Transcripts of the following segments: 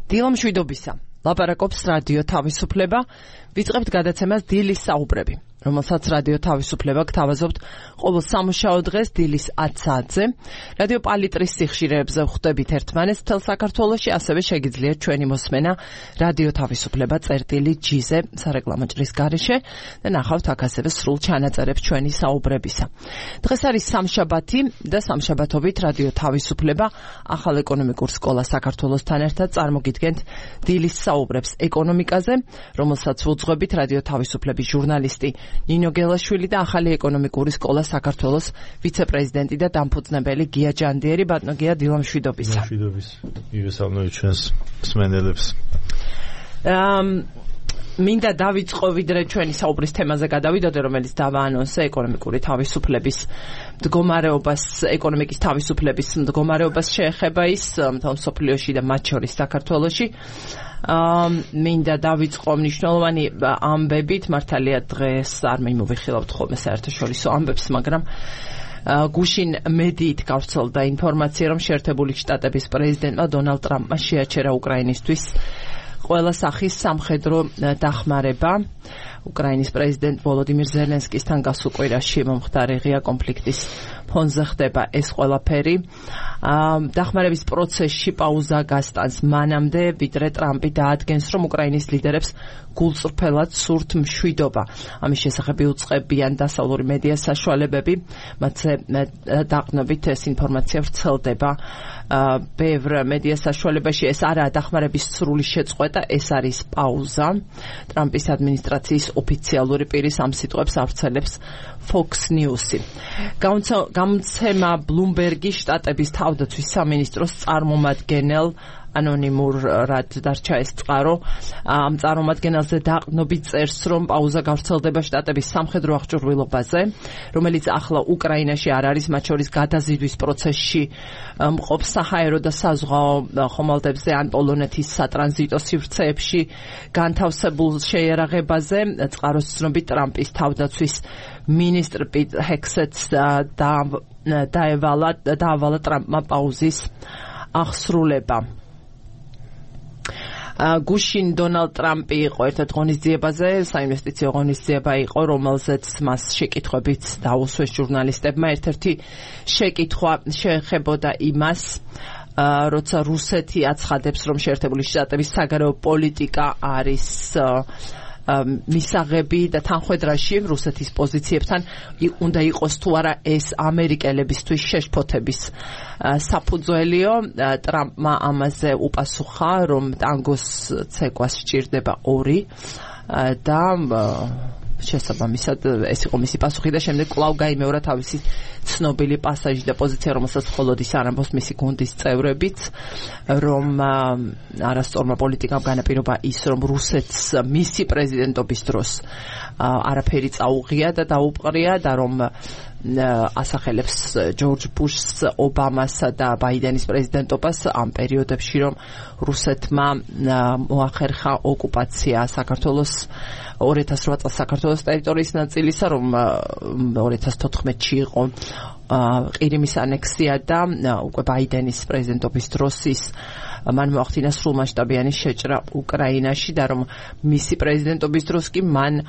დილა მშვიდობისა. ლაპარაკობს რადიო თავისუფლება. ვიწყებთ გადაცემას დილის საუბრები, რომელსაც რადიო თავისუფლება გთავაზობთ ყოველ სამუშაო დღეს დილის 10 საათზე. რადიო პალიტრის სიხშირეებზე ხვდებით ერთმანეთს მთელ საქართველოში, ასევე შეგიძლიათ ჩვენი მოსმენა რადიო თავისუფლება წერტილი G-ზე სარეკლამო ჭრის გარეშე და ნახავთ აქ ასევე სრულ ჩანაწერებს ჩვენი საუბრებისა. დღეს არის სამშაბათი და სამშაბათობით რადიო თავისუფლება ახალ ეკონომიკურ სკოლას საქართველოსთან ერთად წარმოგიდგენთ დილის საუბრებს ეკონომიკაზე, რომელსაც ვუძღვებით რადიო თავისუფლების ჟურნალისტი ნინო გელაშვილი და ახალი ეკონომიკური სკოლა საქართველოს ვიცე-პრეზიდენტი და დამფუძნებელი გია ჯანდიერი. ბატონო გია, დილა მშვიდობისა. მშვიდობის. მივესალმებით ჩვენს მსმენელებს. მინდა დავიწყო ვიდრე ჩვენი საუბრის თემაზე გადავიდოდე, რომელიც დავაანონსე ეკონომიკური თავისუფლების მდგომარეობას, ეკონომიკის თავისუფლების მდგომარეობას შეეხება ის მთელ მსოფლიოში და მათ შორის საქართველოში. მინდა დავიწყო მნიშვნელოვანი ამბებით, მართალია დღეს არ მიმოვიხილავთ ხოლმე საერთაშორისო ამბებს, მაგრამ გუშინ მედიით გავრცელდა ინფორმაცია, რომ შეერთებული შტატების პრეზიდენტმა დონალდ ტრამპმა შეაჩერა უკრაინისთვის ყველა სახის სამხედრო დახმარება. უკრაინის პრეზიდენტ ვოლოდიმირ ზელენსკისთან გასულ კვირაში მომხდარი ღია კონფლიქტის ფონზე ხდება ეს ყველაფერი. დახმარების პროცესში პაუზა გასტანს მანამდე, ვიდრე ტრამპი დაადგენს, რომ უკრაინის ლიდერებს გულწრფელად სურთ მშვიდობა. ამის შესახებ იუწყებიან დასავლური მედია საშუალებები, მათზე დაყრდნობით ეს ინფორმაცია ვრცელდება ბევრ მედია საშუალებაში. ეს არაა დახმარების სრული შეწყვეტა, ეს არის პაუზა. ტრამპის ადმინისტრაციის ოფიციალური პირის ამ სიტყვებს ავრცელებს Fox News-ი. გამოცემა Bloomberg-ი შტატების თავდაცვის სამინისტროს წარმომადგენელ ანონიმურად დარჩა ეს წყარო. ამ წარმომადგენელზე დაყრდნობით წერს, რომ პაუზა გავრცელდება შტატების სამხედრო აღჭურვილობაზე, რომელიც ახლა უკრაინაში არ არის, მათ შორის გადაზიდვის პროცესში მყოფ საჰაერო და საზღვაო ხომალდებზე ან პოლონეთის სატრანზიტო სივრცეებში განთავსებულ შეიარაღებაზე. წყაროს ცნობით ტრამპის თავდაცვის მინისტრ პიტ ჰექსეტს დაავალა ტრამპმა პაუზის აღსრულება. გუშინ დონალდ ტრამპი იყო ერთ-ერთ ღონისძიებაზე, საინვესტიციო ღონისძიება იყო, რომელზეც მას შეკითხვებით დაუსვეს ჟურნალისტებმა. ერთ-ერთი შეკითხვა შეეხებოდა იმას, როცა რუსეთი აცხადებს, რომ შეერთებული შტატების საგარეო პოლიტიკა არის მისაღები და თანხვედრაში რუსეთის პოზიციებთან უნდა იყოს თუ არა ეს ამერიკელებისთვის შეშფოთების საფუძველიო. ტრამპმა ამაზე უპასუხა, რომ ტანგოს ცეკვას სჭირდება 2 და შესაბამისად ეს იყო მისი პასუხი და შემდეგ კვლავ გაიმეორა თავისი ცნობილი პასაჟი და პოზიცია, რომელსაც მხოლოდ ის არ ამბობს მისი გუნდის წევრებიც, რომ არასწორმა პოლიტიკამ განაპირობა ის, რომ რუსეთს მისი პრეზიდენტობის დროს არაფერი წაუღია და დაუპყრია და რომ ასახელებს ჯორჯ ბუშს, ობამასა და ბაიდენის პრეზიდენტობას ამ პერიოდებში, რომ რუსეთმა მოახერხა ოკუპაცია საქართველოს 2008 წელს საქართველოს ტერიტორიის ნაწილისა, რომ 2014-ში იყო ყირიმის ანექსია და უკვე ბაიდენის პრეზიდენტობის დროს ის მან მოახდინა სრულმასშტაბიანი შეჭრა უკრაინაში და რომ მისი პრეზიდენტობის დროს კი მან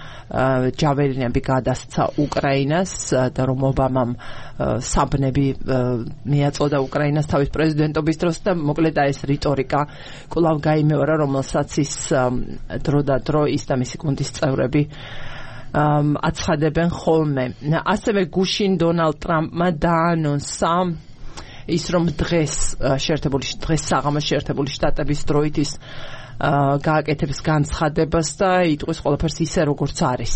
ჯაველინები გადასცა უკრაინას და რომ ობამამ საბნები მიაწოდა უკრაინას თავის პრეზიდენტობის დროს და მოკლედ ეს რიტორიკა კვლავ გაიმეორა, რომელსაც ის დრო და დრო ის და მისი გუნდის წევრები აცხადებენ ხოლმე. ასევე გუშინ დონალდ ტრამპმა დაანონსა ის, რომ დღეს საღამოს შეერთებული შტატების დროით ის გააკეთებს განცხადებას და იტყვის ყველაფერს ისე როგორც არის.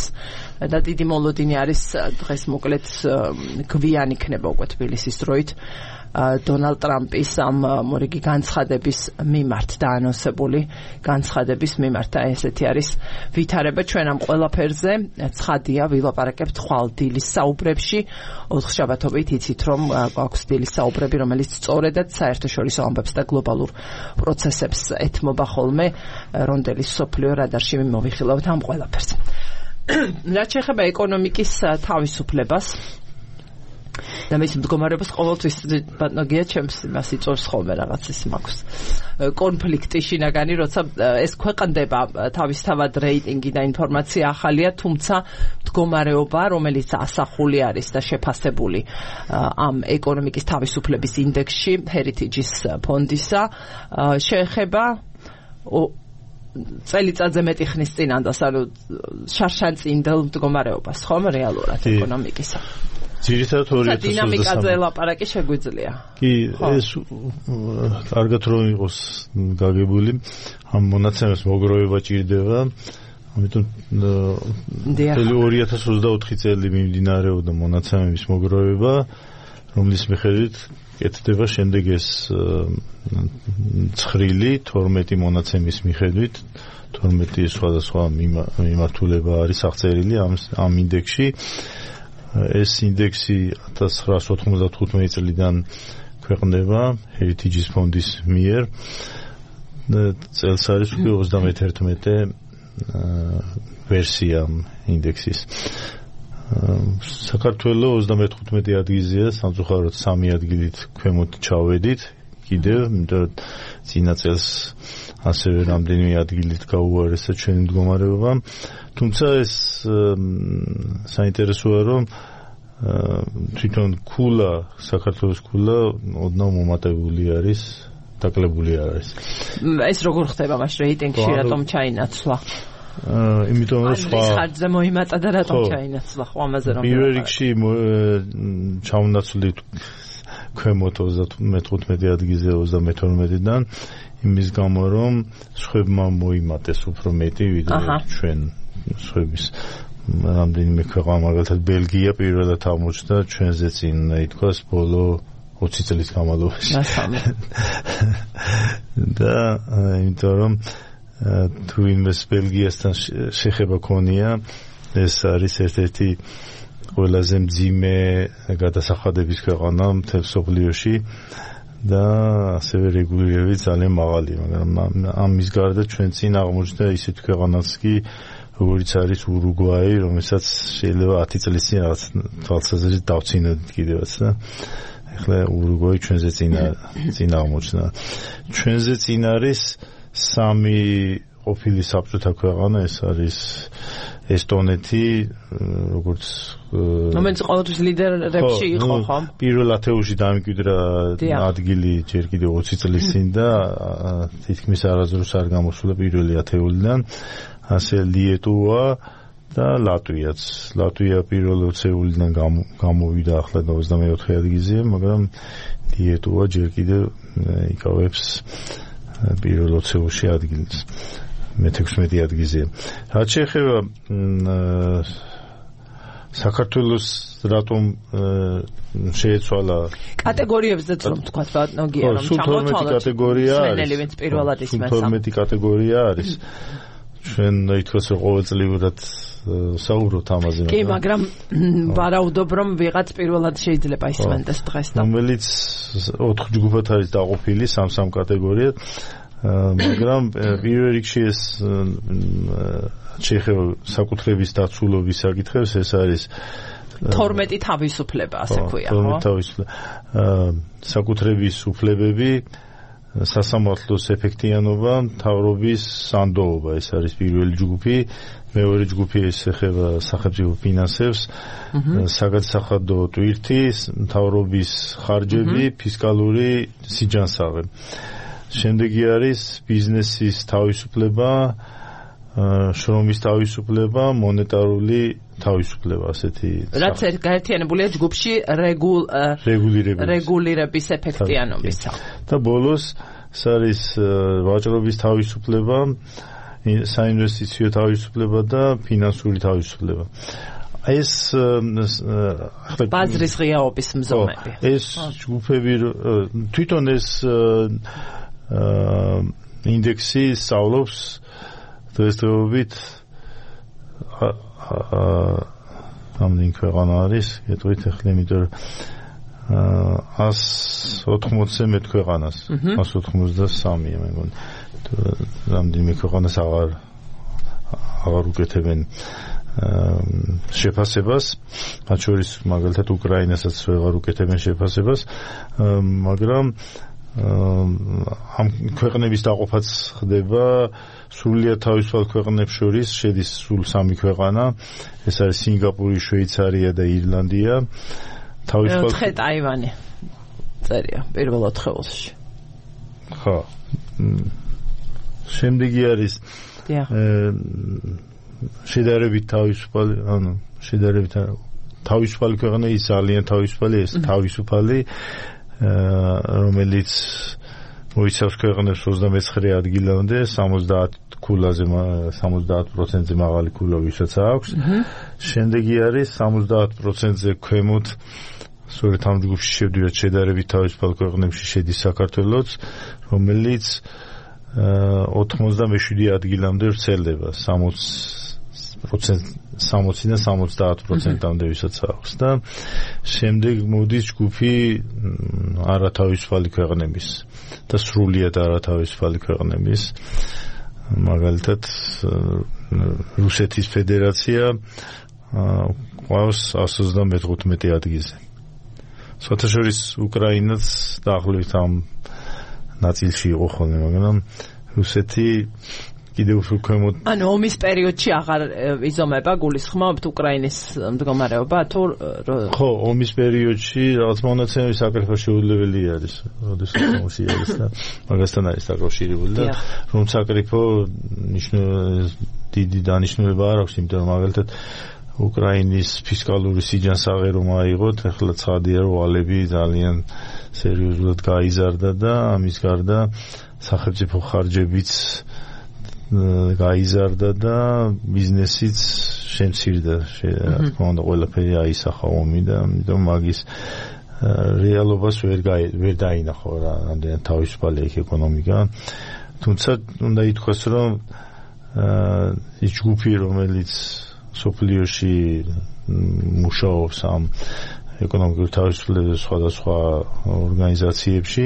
და დიდი მოლოდინი არის დღეს მოკლედ გვიან იქნება უკვე თბილისის დროით დონალდ ტრამპის ამ მორიგი განცხადების მიმართ დაანონსებული განცხადების მიმართ. ესეთი არის ვითარება ჩვენ ამ ყველაფერზე. ცხადია, ვილაპარაკებთ ხვალ დილის საუბრებში. 4 შაბათობით იცით, რომ გვაქვს დილის საუბრები, რომელიც სწორედად საერთაშორისო ამბებს და გლობალურ პროცესებს ეთმობა ხოლმე. რონდელის სოფლიო რადარში მოვიხილავთ ამ ყველაფერს. რაც შეეხება ეკონომიკის თავისუფლებას, და მის მდგომარეობას ყოველთვის ბატონია ჩემს იმას იწვევს ხოლმე რაღაც ის მაქვს კონფლიქტი შინაგანი, როცა ეს ქვეყნდება თავისთავად რეიტინგი და ინფორმაცია ახალია, თუმცა მდგომარეობა, რომელიც ასახული არის და შეფასებული ამ ეკონომიკის თავისუფლების ინდექსში Heritage-ის ფონდისა შეეხება წელიწადზე მეტი ხნის წინანდას, ანუ შარშანწინდელ მდგომარეობას, ხომ რეალურად ეკონომიკისა. ძირითადად 2023 დინამიკაზე ლაპარაკი შეგვიძლია. კი, ეს კარგად რომ იყოს გაგებული, ამ მონაცემებს მოგროვება ჭირდება, ამიტომ 2024 წელი მიმდინარეობდა მონაცემების მოგროვება, რომლის მიხედვით კეთდება შემდეგ ეს ცხრილი 12 მონაცემის მიხედვით 12 სხვადასხვა მიმართულება არის აღწერილი ამ ინდექსში. ეს ინდექსი 1995 წლიდან ქვეყნდება Heritage-ის ფონდის მიერ. წელს არის უკვე 31 ვერსია ინდექსის. საქართველოს 35 ადგილზეა, სამწუხაროდ 3 ადგილით ქვემოთ ჩავედით. კიდევ, იმიტომ წინა წელს ასევე რამდენიმე ადგილით გაუარესა ჩვენი მდგომარეობა. თუმცა ეს საინტერესოა, რომ თვითონ ქულა, საქართველოს ქულა ოდნავ მომატებული არის, დაკლებული არ არის. ეს როგორ ხდება მაშინ რეიტინგში, რატომ ჩაინაცვლა? იმიტომ რომ სხვა ხარჯზე მოიმატა და რატომ ჩაინაცვლა ხო ამაზე რომ პირველ რიგში ჩაუნაცვლით ქვემოთ 35 ადგილზე 32-დან იმის გამო რომ სხვებმა მოიმატეს უფრო მეტი ვიდრე ჩვენ სხვების რამდენიმე ქვეყანა მაგალითად ბელგია პირველად აღმოჩნდა ჩვენზე წინ ითქვას ბოლო 20 წლის განმავლობაში და იმიტომ რომ თუ იმეს ბელგიასთან შეხება ქონია ეს არის ერთ-ერთი ყველაზე მძიმე გადასახადების ქვეყანა მთელ მსოფლიოში და ასევე რეგულირებით ძალიან მაღალია, მაგრამ ამის გარდა ჩვენ წინ აღმოჩნდა ისეთი ქვეყანაც კი როგორც არის ურუგვაი, რომელსაც შეიძლება 10 წლის წინ რაღაც თვალსაზრისით დავწინოდით კიდევაც და ეხლა ურუგვაი ჩვენზე წინ აღმოჩნდა. ჩვენზე წინ არის 3 ყოფილი საბჭოთა ქვეყანა, ეს არის ესტონეთი, როგორც რომელიც ყოველთვის ლიდერებში იყო, ხო? პირველ ათეულში დამკვიდრა ადგილი ჯერ კიდევ 20 წლის წინ და თითქმის არასდროს არ გამოსულა პირველი ათეულიდან. ასე ლიეტუვა და ლატვიაც. ლატვია პირველ 20-ულიდან გამოვიდა ახლა და 24 ადგილზე, მაგრამ ლიეტუვა ჯერ კიდევ იკავებს პირველ 20-ში ადგილს. მე-16 ადგილზე. რაც შეეხება საქართველოს რატომ შეეცვალა კატეგორიებზე რომ თქვა ბატონია რომ ჩამოთვალოთ კატეგორია არის პირველად ისმენსა 12 კატეგორია არის ჩვენ ითქვას რომ ყოველწლიურად საუბრობთ ამაზე კი მაგრამ ვარაუდობ რომ ვიღაც პირველად შეიძლება ისმენდეს დღეს და რომელიც 4 ჯგუფად არის დაყოფილი 3 კატეგორიად მაგრამ პირველ რიგში ეს შეეხება საკუთრების დაცულობის საკითხებს ეს არის 12 თავისუფლება ასე ქვია ხო 12 თავისუფლება საკუთრების უფლებები სასამართლოს ეფექტიანობა მთავრობის სანდოობა ეს არის პირველი ჯგუფი მეორე ჯგუფი ეს ეხება სახელმწიფო ფინანსებს საგადასახადო ტვირთი მთავრობის ხარჯები ფისკალური სიჯანსაღი შემდეგი არის ბიზნესის თავისუფლება შრომის თავისუფლება მონეტარული თავისუფლება ასეთი რაც გაერთიანებულია ჯგუფში რეგულირების ეფექტიანობისა და ბოლოს ეს არის ვაჭრობის თავისუფლება საინვესტიციო თავისუფლება და ფინანსური თავისუფლება ეს ბაზრის ღიაობის მზომები ეს ჯგუფები თვითონ ეს ინდექსი სწავლობს დღესდღეობით ამდენ ქვეყანა არის ეტყვით ახლა იმიტომ 180-ზე მეტ ქვეყანას 183-ია მე მგონი რამდენიმე ქვეყანას აღარ უკეთებენ შეფასებას, მათ შორის მაგალითად უკრაინასაც ვეღარ უკეთებენ შეფასებას, მაგრამ ამ ქვეყნების დაყოფაც ხდება სრულიად თავისუფალ ქვეყნებს შორის, შედის სულ 3 ქვეყანა, ეს არის სინგაპური, შვეიცარია და ირლანდია. თავისუფალ ტაივანი წერია პირველ 4-ში. ხო. შემდეგი არის შედარებით თავისუფალი, შედარებით თავისუფალი ქვეყნა, ის ძალიან თავისუფალი, ეს თავისუფალი, რომელიც მოიცავს ქვეყნებს 29 ადგილამდე, 70 ქულაზე, 70%-ზე მაღალი ქულა ვისაც აქვს. შემდეგი არის 70%-ზე ქვემოთ, სწორედ ამ ჯგუფში შევდივართ შედარებით თავისუფალ ქვეყნებში შედის საქართველოც, რომელიც 97 ადგილამდე ვრცელდება, 60-დან 70%-მდე ვისაც აქვს და შემდეგ მოდის ჯგუფი არათავისუფალი ქვეყნების და სრულიად არათავისუფალი ქვეყნების, მაგალითად რუსეთის ფედერაცია ყავს 135 ადგილზე. საერთაშორის უკრაინაც დაახლოებით ამ ნაწილში იყო ხოლმე, მაგრამ რუსეთი კიდევ უფრო ქვემოთ. ანუ ომის პერიოდში აღარ იზომება გულისხმობთ უკრაინის მდგომარეობა თუ ხო, ომის პერიოდში რაღაც მონაცემები საკრიფო შეუძლებელი არის, როდესაც ომში არის და მაგასთან არის დაკავშირებული და რომ საკრიფო დიდი დანიშნულება არ აქვს, იმიტომ რომ მაგალითად უკრაინის ფისკალური სიჯანსაღე რომ აიღოთ, ახლა ცხადია რომ ვალები ძალიან სერიოზულად გაიზარდა და ამის გარდა სახელმწიფო ხარჯებიც გაიზარდა და ბიზნესიც შემცირდა, რა თქმა უნდა, ყველაფერი აისახა ომი და ამიტომ მაგის რეალობას ვერ დაინახო რა, ამდენად თავისუფალი იქ ეკონომიკა. თუმცა უნდა ითქვას, რომ ის ჯგუფი, რომელიც სოფლიოში მუშაობს ამ ეკონომიკურ თავისუფლებას სხვადასხვა ორგანიზაციებში,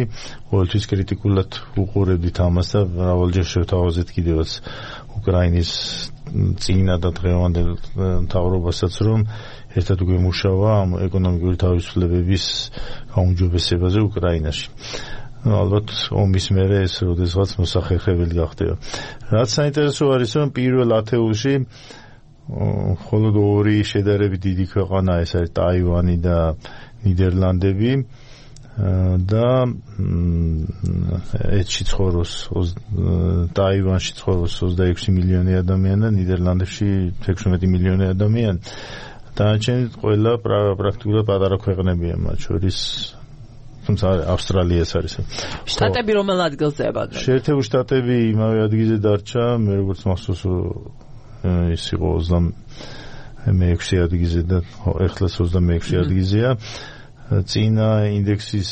ყოველთვის კრიტიკულად უყურებდით ამას და მრავალჯერ შევთავაზეთ კიდევაც უკრაინის წინა და დღევანდელ მთავრობასაც, რომ ერთად უკვე მუშაობა ამ ეკონომიკური თავისუფლებების გაუმჯობესებაზე უკრაინაში. ალბათ ომის მერე ეს როდესღაც მოსახერხებელი გახდება. რაც საინტერესო არის, რომ პირველ ათეულში მხოლოდ 2 შედარებით დიდი ქვეყანა, ეს არის ტაივანი და ნიდერლანდები და ეთში ცხოვრობს ტაივანში ცხოვრობს 26 მილიონი ადამიანი და ნიდერლანდებში 16 მილიონი ადამიანი. დანარჩენი ყველა პრაქტიკულად პატარა ქვეყნებია, მათ შორის თუმცა ავსტრალიაც არის. შტატები რომელ ადგილზეა? შეერთებული შტატები იმავე ადგილზე დარჩა, მე როგორც მახსოვს ის იყო 26 ადგილზე და ეხლა 26 ადგილზეა. წინა ინდექსის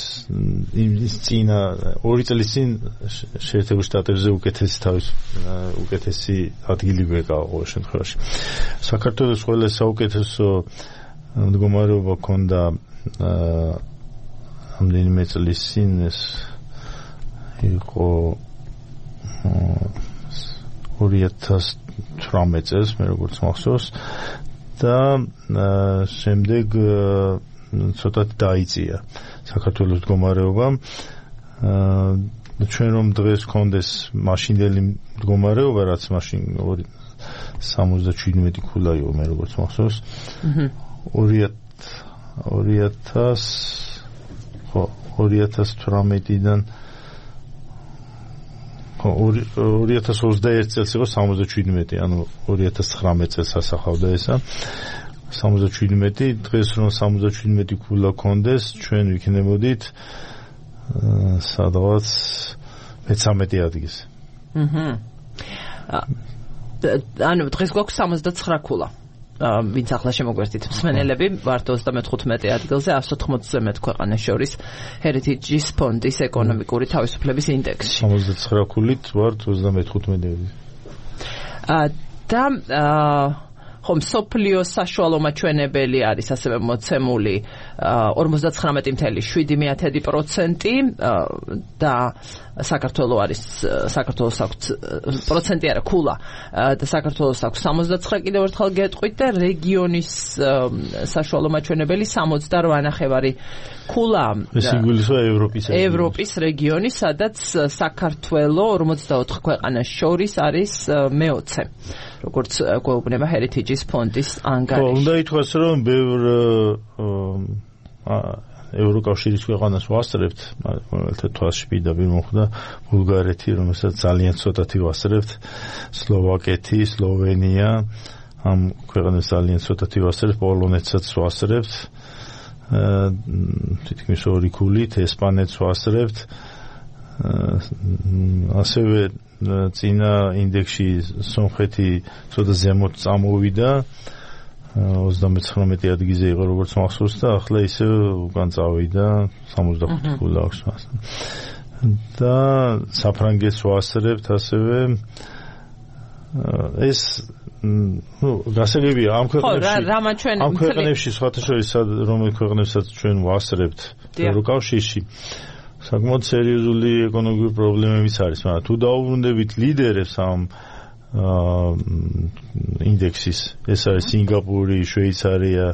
წინა 2 წლის წინ შეერთებულ შტატებზე უკეთესი ადგილი გვეკავა ყოველ შემთხვევაში. საქართველოს ყველა საუკეთესო მდგომარეობა ჰქონდა ამდენიმე წლის წინ, ეს იყო 2018 წელს, მე როგორც მახსოვს და შემდეგ ცოტათი დაიწია საქართველოს მდგომარეობა. ჩვენ რომ დღეს გქონდეს მაშინდელი მდგომარეობა, რაც მაშინ 77 ქულა იყო, მე როგორც მახსოვს. 2018-დან 2021 წელს იყო 77, ანუ 2019 წელს ასახავდა ესა. 77, დღეს რომ 77 ქულა გქონდეს, ჩვენ ვიქნებოდით სადღაც 13 ადგილზე. ანუ დღეს გვაქვს 79 ქულა. ვინც ახლა შემოგვერთით მსმენელები, ვართ 35 ადგილზე 180-ზე მეტ ქვეყანას შორის Heritage-ის ფონდის ეკონომიკური თავისუფლების ინდექსში. 79 ქულით ვართ 35-ზე. და ხომ სოფლიოს საშუალო მაჩვენებელი არის ასევე მოცემული 59.7% და საქართველოს არის საქართველოს აქვს პროცენტი არა ქულა და საქართველოს აქვს 69 კიდევ ერთხელ გეტყვით და რეგიონის საშუალო მაჩვენებელი 68.5 ქულა ეს იგულისხმება ევროპის რეგიონი სადაც საქართველოს 44 ქვეყანას შორის არის მე-20 როგორც გვეუბნება Heritage-ის ფონდის ანგარიში. უნდა ითქვას რომ ბევრ ევროკავშირის ქვეყანას ვასწრებთ, რომელთა თვალში პირდაპირ მოხვდა ბულგარეთი, რომელსაც ძალიან ცოტათი ვასწრებთ, სლოვაკეთი, სლოვენია, ამ ქვეყანას ძალიან ცოტათი ვასწრებთ, პოლონეთსაც ვასწრებთ, თითქმის 2 ქულით, ესპანეთს ვასწრებთ, ასევე წინა ინდექსში სომხეთი ცოტა ზემოთ წამოვიდა 39 ადგილზე იყო როგორც მახსოვს და ახლა ისე უკან წავიდა 65 ქულა აქვს მას. და საფრანგეთს ვასწრებთ ასევე ეს გასაგებია ამ ქვეყნებში სხვათა შორის რომელ ქვეყნებსაც ჩვენ ვასწრებთ ევროკავშირში საკმაოდ სერიოზული ეკონომიკური პრობლემებიც არის, მაგრამ თუ დაუბრუნდებით ლიდერებს ამ ინდექსის, ეს არის სინგაპური, შვეიცარია,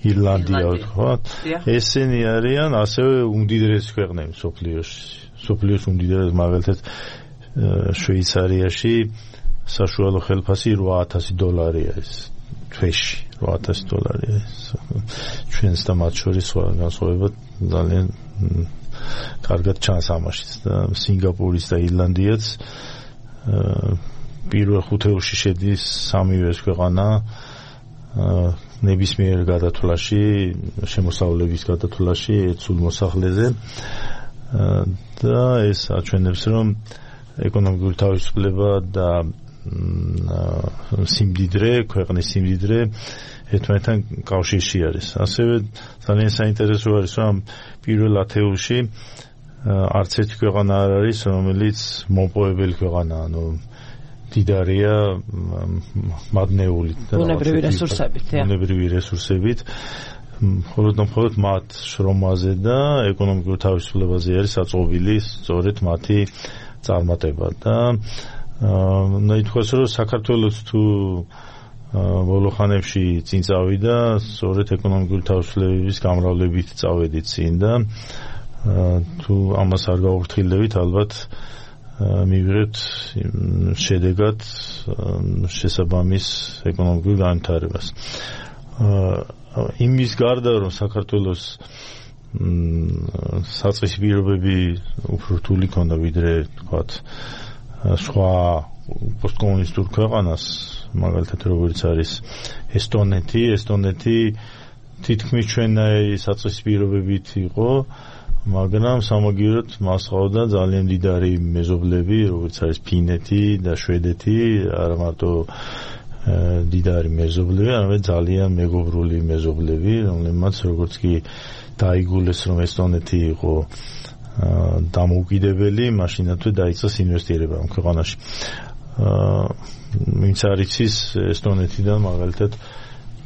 ირლანდია, ვთქვათ, ესენი არიან ასევე უმდიდრესი ქვეყნები მსოფლიოს უმდიდრესი, მაგალითად შვეიცარიაში საშუალო ხელფასი $8,000 არის თვეში, $8,000 არის. ჩვენს და მათ შორის განსხვავება ძალიან კარგად ჩანს ამაშიც და სინგაპურის და ირლანდიაც პირველ ხუთეულში შედის სამივე ეს ქვეყანა ნებისმიერ გადათვლაში, შემოსავლების გადათვლაში სულ მოსახლეზე და ეს აჩვენებს რომ ეკონომიკური თავისუფლება და სიმდიდრე, ქვეყნის სიმდიდრე ერთმანეთთან კავშირში არის. ასევე ძალიან საინტერესო არის რომ პირველ ათეულში არც ერთი ქვეყანა არ არის, რომელიც მომპოვებელი ქვეყანაა, ანუ დიდარია მადნეული და ბუნებრივი რესურსებით. მხოლოდ მათ შრომაზე და ეკონომიკურ თავისუფლებაზე არის საწყობილი სწორედ მათი წარმატება და უნდა ითქვას რომ საქართველოს თუ ბოლო ხანებში წინ წავიდა სწორედ ეკონომიკური თავისუფლების გამრავლებით წავედით წინ და თუ ამას არ გავუფრთხილდებით ალბათ მივიღებთ შედეგად შესაბამის ეკონომიკურ განვითარებას. იმის გარდა რომ საქართველოს საწყისი პირობები უფრო რთული ქონდა ვიდრე თქვათ სხვა პოსტკომუნისტურ ქვეყანას, მაგალითად როგორც არის ესტონეთი თითქმის ჩვენნაირი საწყისი პირობებით იყო, მაგრამ სამაგიეროდ მას ყავდა ძალიან მდიდარი მეზობლები, როგორც არის ფინეთი და შვედეთი, არა მარტო მდიდარი მეზობლები, არამედ ძალიან მეგობრული მეზობლები, რომლებმაც როგორც კი დაიგულეს რომ ესტონეთი იყო დამოუკიდებელი, მაშინათვე დაიწყეს ინვესტირება ამ ქვეყანაში. ვინც არ იცის ესტონეთიდან მაგალითად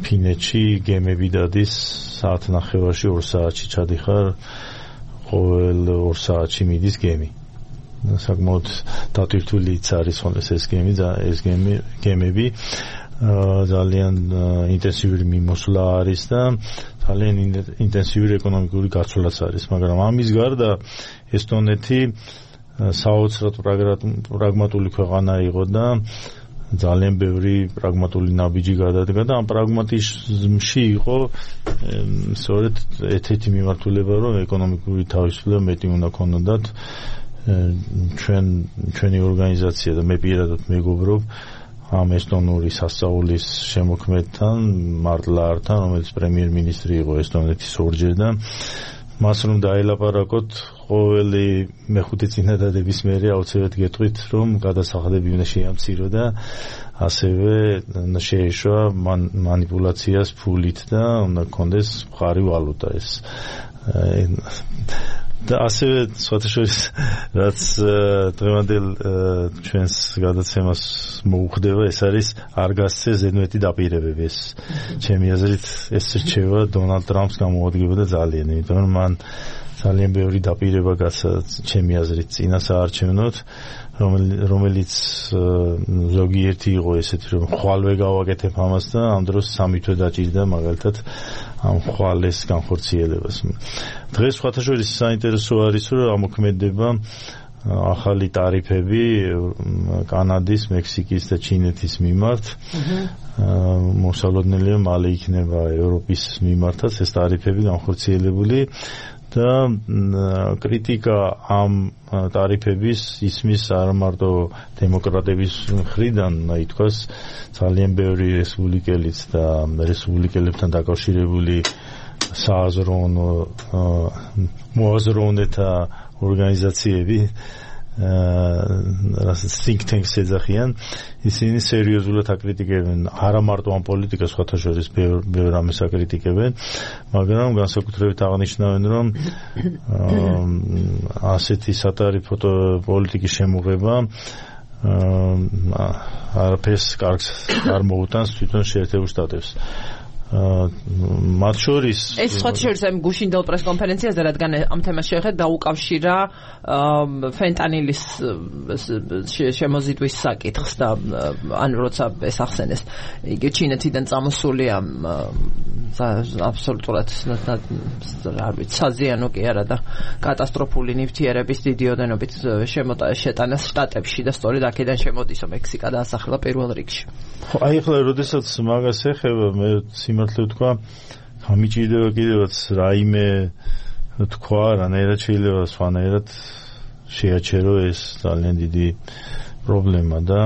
ფინეთში გემები დადის საათნახევარში 2 საათში ჩადიხარ, ყოველ 2 საათში მიდის გემი. საკმაოდ დატვირთულიც არის ხოლმე ეს გემები ძალიან ინტენსიური მიმოსვლა არის და ძალიან ინტენსიური ეკონომიკური გაცვლაც არის, მაგრამ ამის გარდა ესტონეთი საოცრად პრაგმატული ქვეყანა იყო და ძალიან ბევრი პრაგმატული ნაბიჯი გადადგა და ამ პრაგმატიზმში იყო სწორედ ერთ-ერთი მიმართულება, რომ ეკონომიკური თავისუფლება მეტი უნდა ქონოდათ. ჩვენი ორგანიზაცია და მე პირადად მეგობრობ ამ ესტონური სასწავლის შემოქმედთან, მარტლაართან, რომელიც პრემიერ-მინისტრი იყო ესტონეთის ორჯერ და მას რომ დაელაპარაკოთ ყოველი მეხუთე წინადადების მერე აუცილებლად გეტყვით რომ გადასახადები უნდა შეამცირო და ასევე შეეშვა მანიპულაციას ფულით და უნდა გქონდეს მხარი ვალუტა. ეს და ასევე სხვათაშორის რაც დღევანდელ ჩვენს გადაცემას მოუხდება, ეს არის არ გასცე ზედმეტი დაპირებები. ეს ჩემი აზრით ეს რჩევა დონალდ ტრამპს გამოადგებოდა ძალიან, იმიტომ რომ მან ძალიან ბევრი დაპირება გაცა ჩემი აზრით წინა საარჩევნოდ, რომელიც ზოგიერთი იყო ესეთი, რომ ხვალვე გავაკეთებ ამას და ამ დროს 3 თვე დაჭირდა მაგალითად ამ ხვალეს განხორციელებას. დღეს სხვათაშორის საინტერესო არის, რომ ამოქმედება ახალი ტარიფები კანადის, მექსიკის და ჩინეთის მიმართ. მოსალოდნელია მალე იქნება ევროპის მიმართაც ეს ტარიფები განხორციელებული. და კრიტიკა ამ ტარიფების ისმის არ მარტო დემოკრატების მხრიდან, ითქვას ძალიან ბევრი რესპუბლიკელიც და რესპუბლიკელებთან დაკავშირებული სააზროვნო მოაზროვნეთა ორგანიზაციები, რასაც think tanks ეძახიან, ისინი სერიოზულად აკრიტიკებენ არა მარტო ამ პოლიტიკას, სხვათაშორის ბევრ ამას აკრიტიკებენ, მაგრამ განსაკუთრებით აღნიშნავენ, რომ ასეთი სატარიფო პოლიტიკის შემოღება არაფერს კარგს არ მოუტანს თვითონ შეერთებულ შტატებს. მათ შორის ეს სხვათაშორის ამ გუშინდელ პრესკონფერენციაზე, რადგან ამ თემას შეეხება, დაუკავშირა ფენტანილის შემოზიდვის საკითხს და ან როცა ეს ახსენეს, იგი ჩინეთიდან წამოსული ამ აბსოლუტურად არ ვიცი, საზიანო კი არა და კატასტროფული ნივთიერების დიდი ოდენობით შეტანას შტატებში და სწორედ აქედან შემოდისო მექსიკა დაასახელა პირველ რიგში. აი ახლა როდესაც მაგას ეხება, მე სიმართლე ვთქვა, გამიჭირდება კიდევაც რაიმე თქვა, რანაირად შეიძლება სხვანაირად შეაჩერო ეს ძალიან დიდი პრობლემა და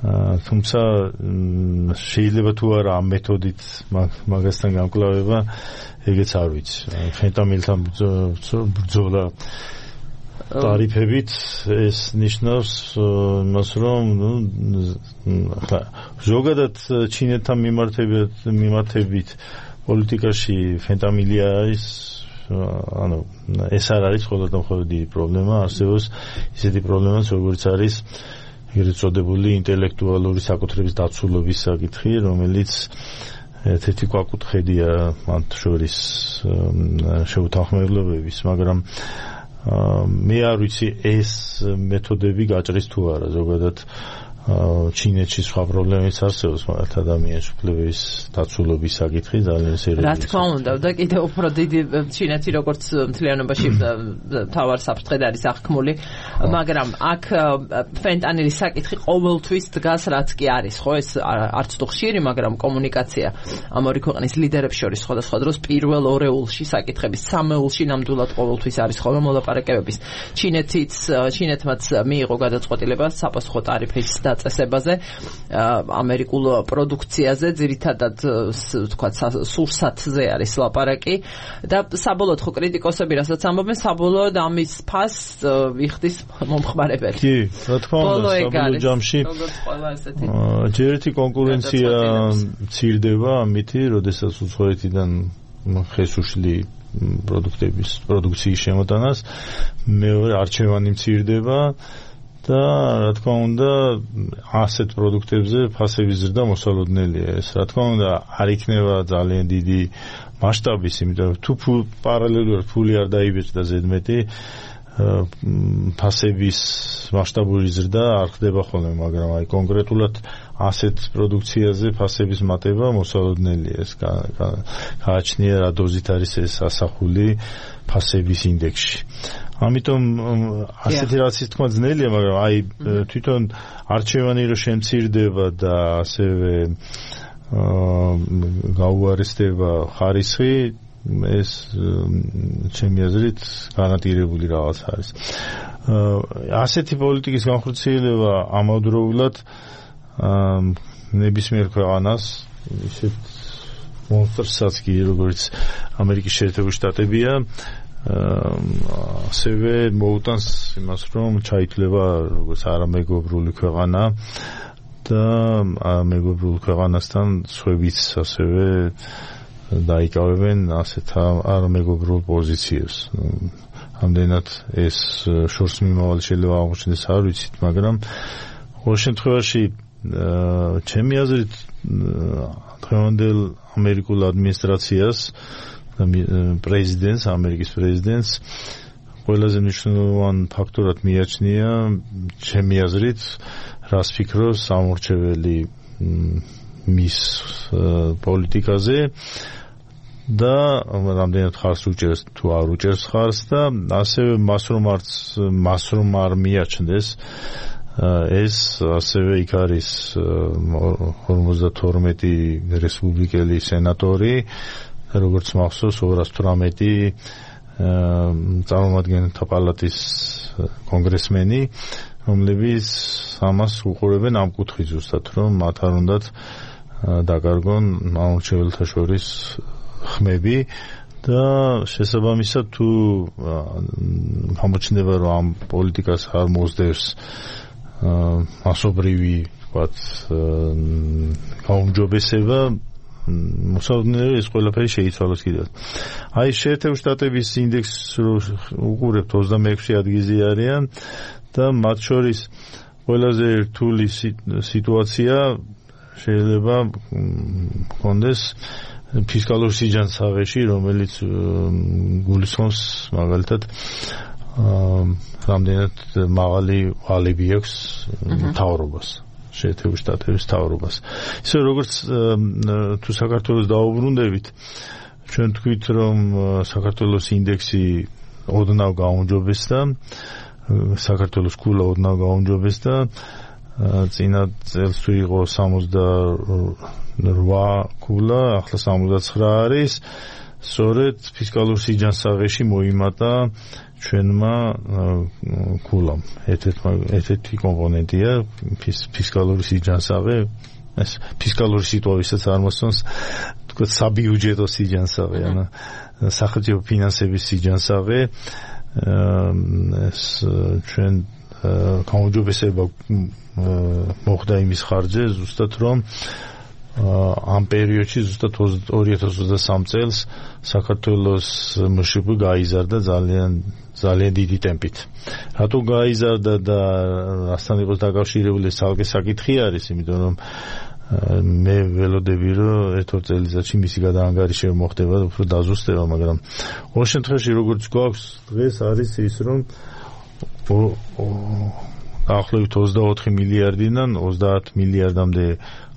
თუმცა შეიძლება თუ არა ამ მეთოდით მაგასთან გამკლავება, ეგეც არ ვიცი. ფენტანილთან ბრძოლა ტარიფებით ეს ნიშნავს იმას, რომ ზოგადად ჩინეთთან მიმართებით პოლიტიკაში ფენტანილი არის, ეს არ არის მხოლოდ დიდი პრობლემა, არსებობს ისეთი პრობლემაც, როგორც არის ეგრეთ წოდებული ინტელექტუალური საკუთრების დაცულობის საკითხი, რომელიც ერთ-ერთი კვაკუთხედია მათ შორის შეუთანხმებლობების, მაგრამ მე არ ვიცი ეს მეთოდები გაჭრის თუ არა. ზოგადად ჩინეთში სხვა პრობლემებიც არსებობს, მაგრამ ადამიანის უფლებების დაცულობის საკითხი ძალიან სერიოზულია. რა თქმა უნდა, და კიდევ უფრო დიდი ჩინეთი როგორც მთლიანობაში თავარ საფრთხედ არის აღქმული, მაგრამ აქ ფენტანილის საკითხი ყოველთვის დგას, რაც კი არის, ხო, ეს არც თუ ხშირი, მაგრამ კომუნიკაცია ამ ორი ქვეყნის ლიდერებს შორის სხვადასხვა დროს პირველ ორეულში საკითხების სამეულში ნამდვილად ყოველთვის არის ხოლმე მოლაპარაკებების. ჩინეთმაც მიიღო გადაწყვეტილება საპასუხო ტარიფის წესებაზე ამერიკულ პროდუქციაზე, ძირითადად თქვა სურსათზე არის ლაპარაკი და საბოლოოდ ხო კრიტიკოსები რასაც ამბობენ, საბოლოოდ ამის ფასს იხდის მომხმარებელი. კი, რა თქმა უნდა, საბოლოო ჯამში ჯერ ერთი კონკურენცია მცირდება ამითი, როდესაც უცხოეთიდან ხესუშლი პროდუქტების პროდუქციის შემოტანას, მეორე არჩევანი მცირდება და რა თქმა უნდა ასეთ პროდუქტებზე ფასების ზრდა მოსალოდნელია. ეს რა თქმა უნდა არ იქნება ძალიან დიდი მასშტაბის, იმიტომ რომ თუ პარალელურად ფული არ დაიბეჭდა ზედმეტი, ფასების მასშტაბური ზრდა არ ხდება ხოლმე, მაგრამ აი კონკრეტულად ასეთ პროდუქციაზე ფასების მატება მოსალოდნელია. ეს გააჩნია რა დოზით არის ეს ასახული ფასების ინდექსში. ამიტომ ასეთი რაც ის თქმა ძნელია, მაგრამ აი თვითონ არჩევანი რო შემცირდება და ასევე გაუარესდება ხარისხი, ეს ჩემი აზრით გარანტირებული რაღაც არის. ასეთი პოლიტიკის განხორციელება ამავდროულად ნებისმიერ ქვეყანას ისეთ მონსტრსაც კი, როგორც ამერიკის შეერთებული შტატებია, ასევე მოუტანს იმას, რომ ჩაითვლება როგორც არამეგობრული ქვეყანა და მეგობრულ ქვეყანასთან სხვებიც ასევე დაიკავებენ ასეთ არამეგობრულ პოზიციებს. ამდენად ეს შორს მიმავალი შეიძლება აღმოჩნდეს არ ვიცით, მაგრამ ყოველ შემთხვევაში ჩემი აზრით დღევანდელ ამერიკულ ადმინისტრაციას პრეზიდენტს, ამერიკის პრეზიდენტს ყველაზე მნიშვნელოვანი ფაქტორად მიაჩნია ჩემი აზრით, რას ფიქრობს სამორჩეველი მის პოლიტიკაზე და რამდენად ხარს უჭერს თუ არ უჭერს ხარს და ასევე მას რომ არ მიაჩნდეს ეს ასევე იქ არის 52 რესპუბლიკელი სენატორი, როგორც მახსოვს 218 წარმომადგენელთა პალატის კონგრესმენი, რომლებიც ამას უყურებენ ამ კუთხით ზუსტად, რომ მათ არ უნდათ დაკარგონ ამორჩეველთა შორის ხმები და შესაბამისად თუ გამოჩნდება რომ ამ პოლიტიკას არ მოსდევს მასობრივი ვთქვათ გაუმჯობესება მოსალოდნელია ეს ყველაფერი შეიცვალოს კიდევ. აი შეერთებული შტატების ინდექსს უყურებთ 26 ადგილზე არიან და მათ შორის ყველაზე რთული სიტუაცია შეიძლება გქონდეს ფისკალურ სიჯანსაღეში, რომელიც გულისხმობს მაგალითად რამდენად მაღალი ვალები აქვს მთავრობას, შეერთებული შტატების მთავრობას. ისე როგორც თუ საქართველოს დაუბრუნდებით, ჩვენ თქვით რომ საქართველოს ინდექსი ოდნავ გაუმჯობესდა, საქართველოს ქულა ოდნავ გაუმჯობესდა, წინა წელს თუ იყო 68 ქულა, ახლა 69 არის. სწორედ ფისკალურ სიჯანსაღეში მოიმატა ჩვენმა ქულამ. ერთ-ერთი კომპონენტია ფისკალური სიჯანსაღე, ეს ფისკალური სიტუაციასაც არ მოსწონს, თქო საბიუჯეტო სიჯანსაღე, ანუ სახელმწიფო ფინანსების სიჯანსაღე, ეს ჩვენ გაუმჯობესება მოხდა იმის ხარჯზე, ზუსტად რომ ამ პერიოდში ზუსტად 2023 წელს საქართველოს მშპ გაიზარდა ძალიან დიდი ტემპით. რატო გაიზარდა და რასთან იყოს დაკავშირებული ეს ცალკე საკითხი არის, იმიტომ რომ მე ველოდები რომ ერთ-ორ წელიწადში მისი გადაანგარიშება მოხდება, უფრო დაზუსტება, მაგრამ ყოველ შემთხვევაში როგორც გვაქვს დღეს არის ის რომ დაახლოებით 24 მილიარდიდან 30 მილიარდამდე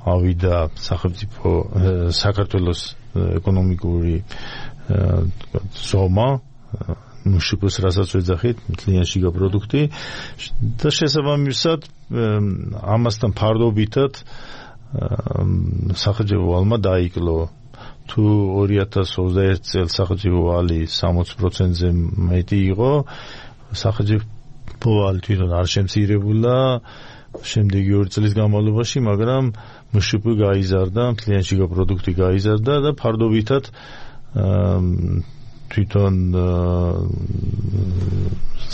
ავიდა სახელმწიფო საქართველოს ეკონომიკური ზომა, მშპ-ს რასაც ვეძახით, მთლიანი შიგა პროდუქტი და შესაბამისად ამასთან ფარდობითად სახელმწიფო ვალმა დაიკლო. თუ 2021 წელს სახელმწიფო ვალი 60%-ზე მეტი იყო, სახელმწიფო ვალი თვითონ არ შემცირებულა შემდეგი 2 წლის განმავლობაში, მაგრამ მშპ გაიზარდა, მთლიანი შიგა პროდუქტი გაიზარდა და ფარდობითად თვითონ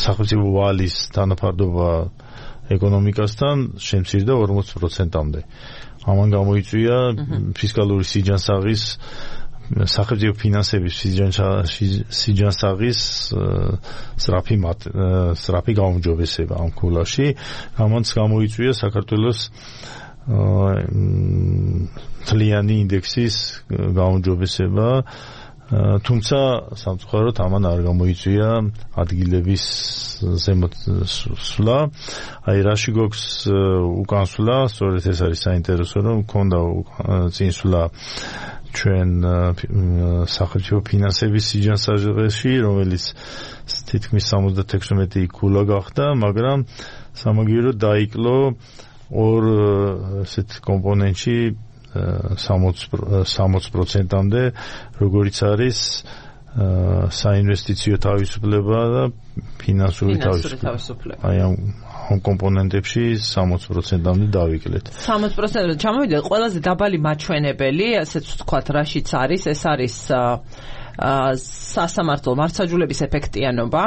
სახელმწიფო ვალის თანაფარდობა ეკონომიკასთან შემცირდა 40%-მდე. ამან გამოიწვია ფისკალური სიჯანსაღის სახელმწიფო ფინანსების სიჯანსაღის სწრაფი გაუმჯობესება ამ ქულაში, ამან გამოიწვია საქართველოს მთლიანი ინდექსის გაუმჯობესება, თუმცა სამწუხაროდ ამან არ გამოიწვია ადგილების ზემოთ სვლა. აი რაში გვაქვს უკანსვლა, სწორედ ეს არის საინტერესო, რომ მქონდა წინსვლა ჩვენ სახელმწიფო ფინანსების სიჯანსაღეში, რომელიც თითქმის 76 ქულა გახდა, მაგრამ სამაგიეროდ დაიკლო ორ ესეთ კომპონენტში 60%-მდე, როგორიც არის საინვესტიციო თავისუფლება და ფინანსური თავისუფლება. აი ამ კომპონენტებში 60%-მდე დავიკლეთ. 60%-მდე ჩამოვიდა. ყველაზე დაბალი მაჩვენებელი, ასეც ვთქვათ, რაშიც არის, ეს არის სასამართლო მართლმსაჯულების ეფექტიანობა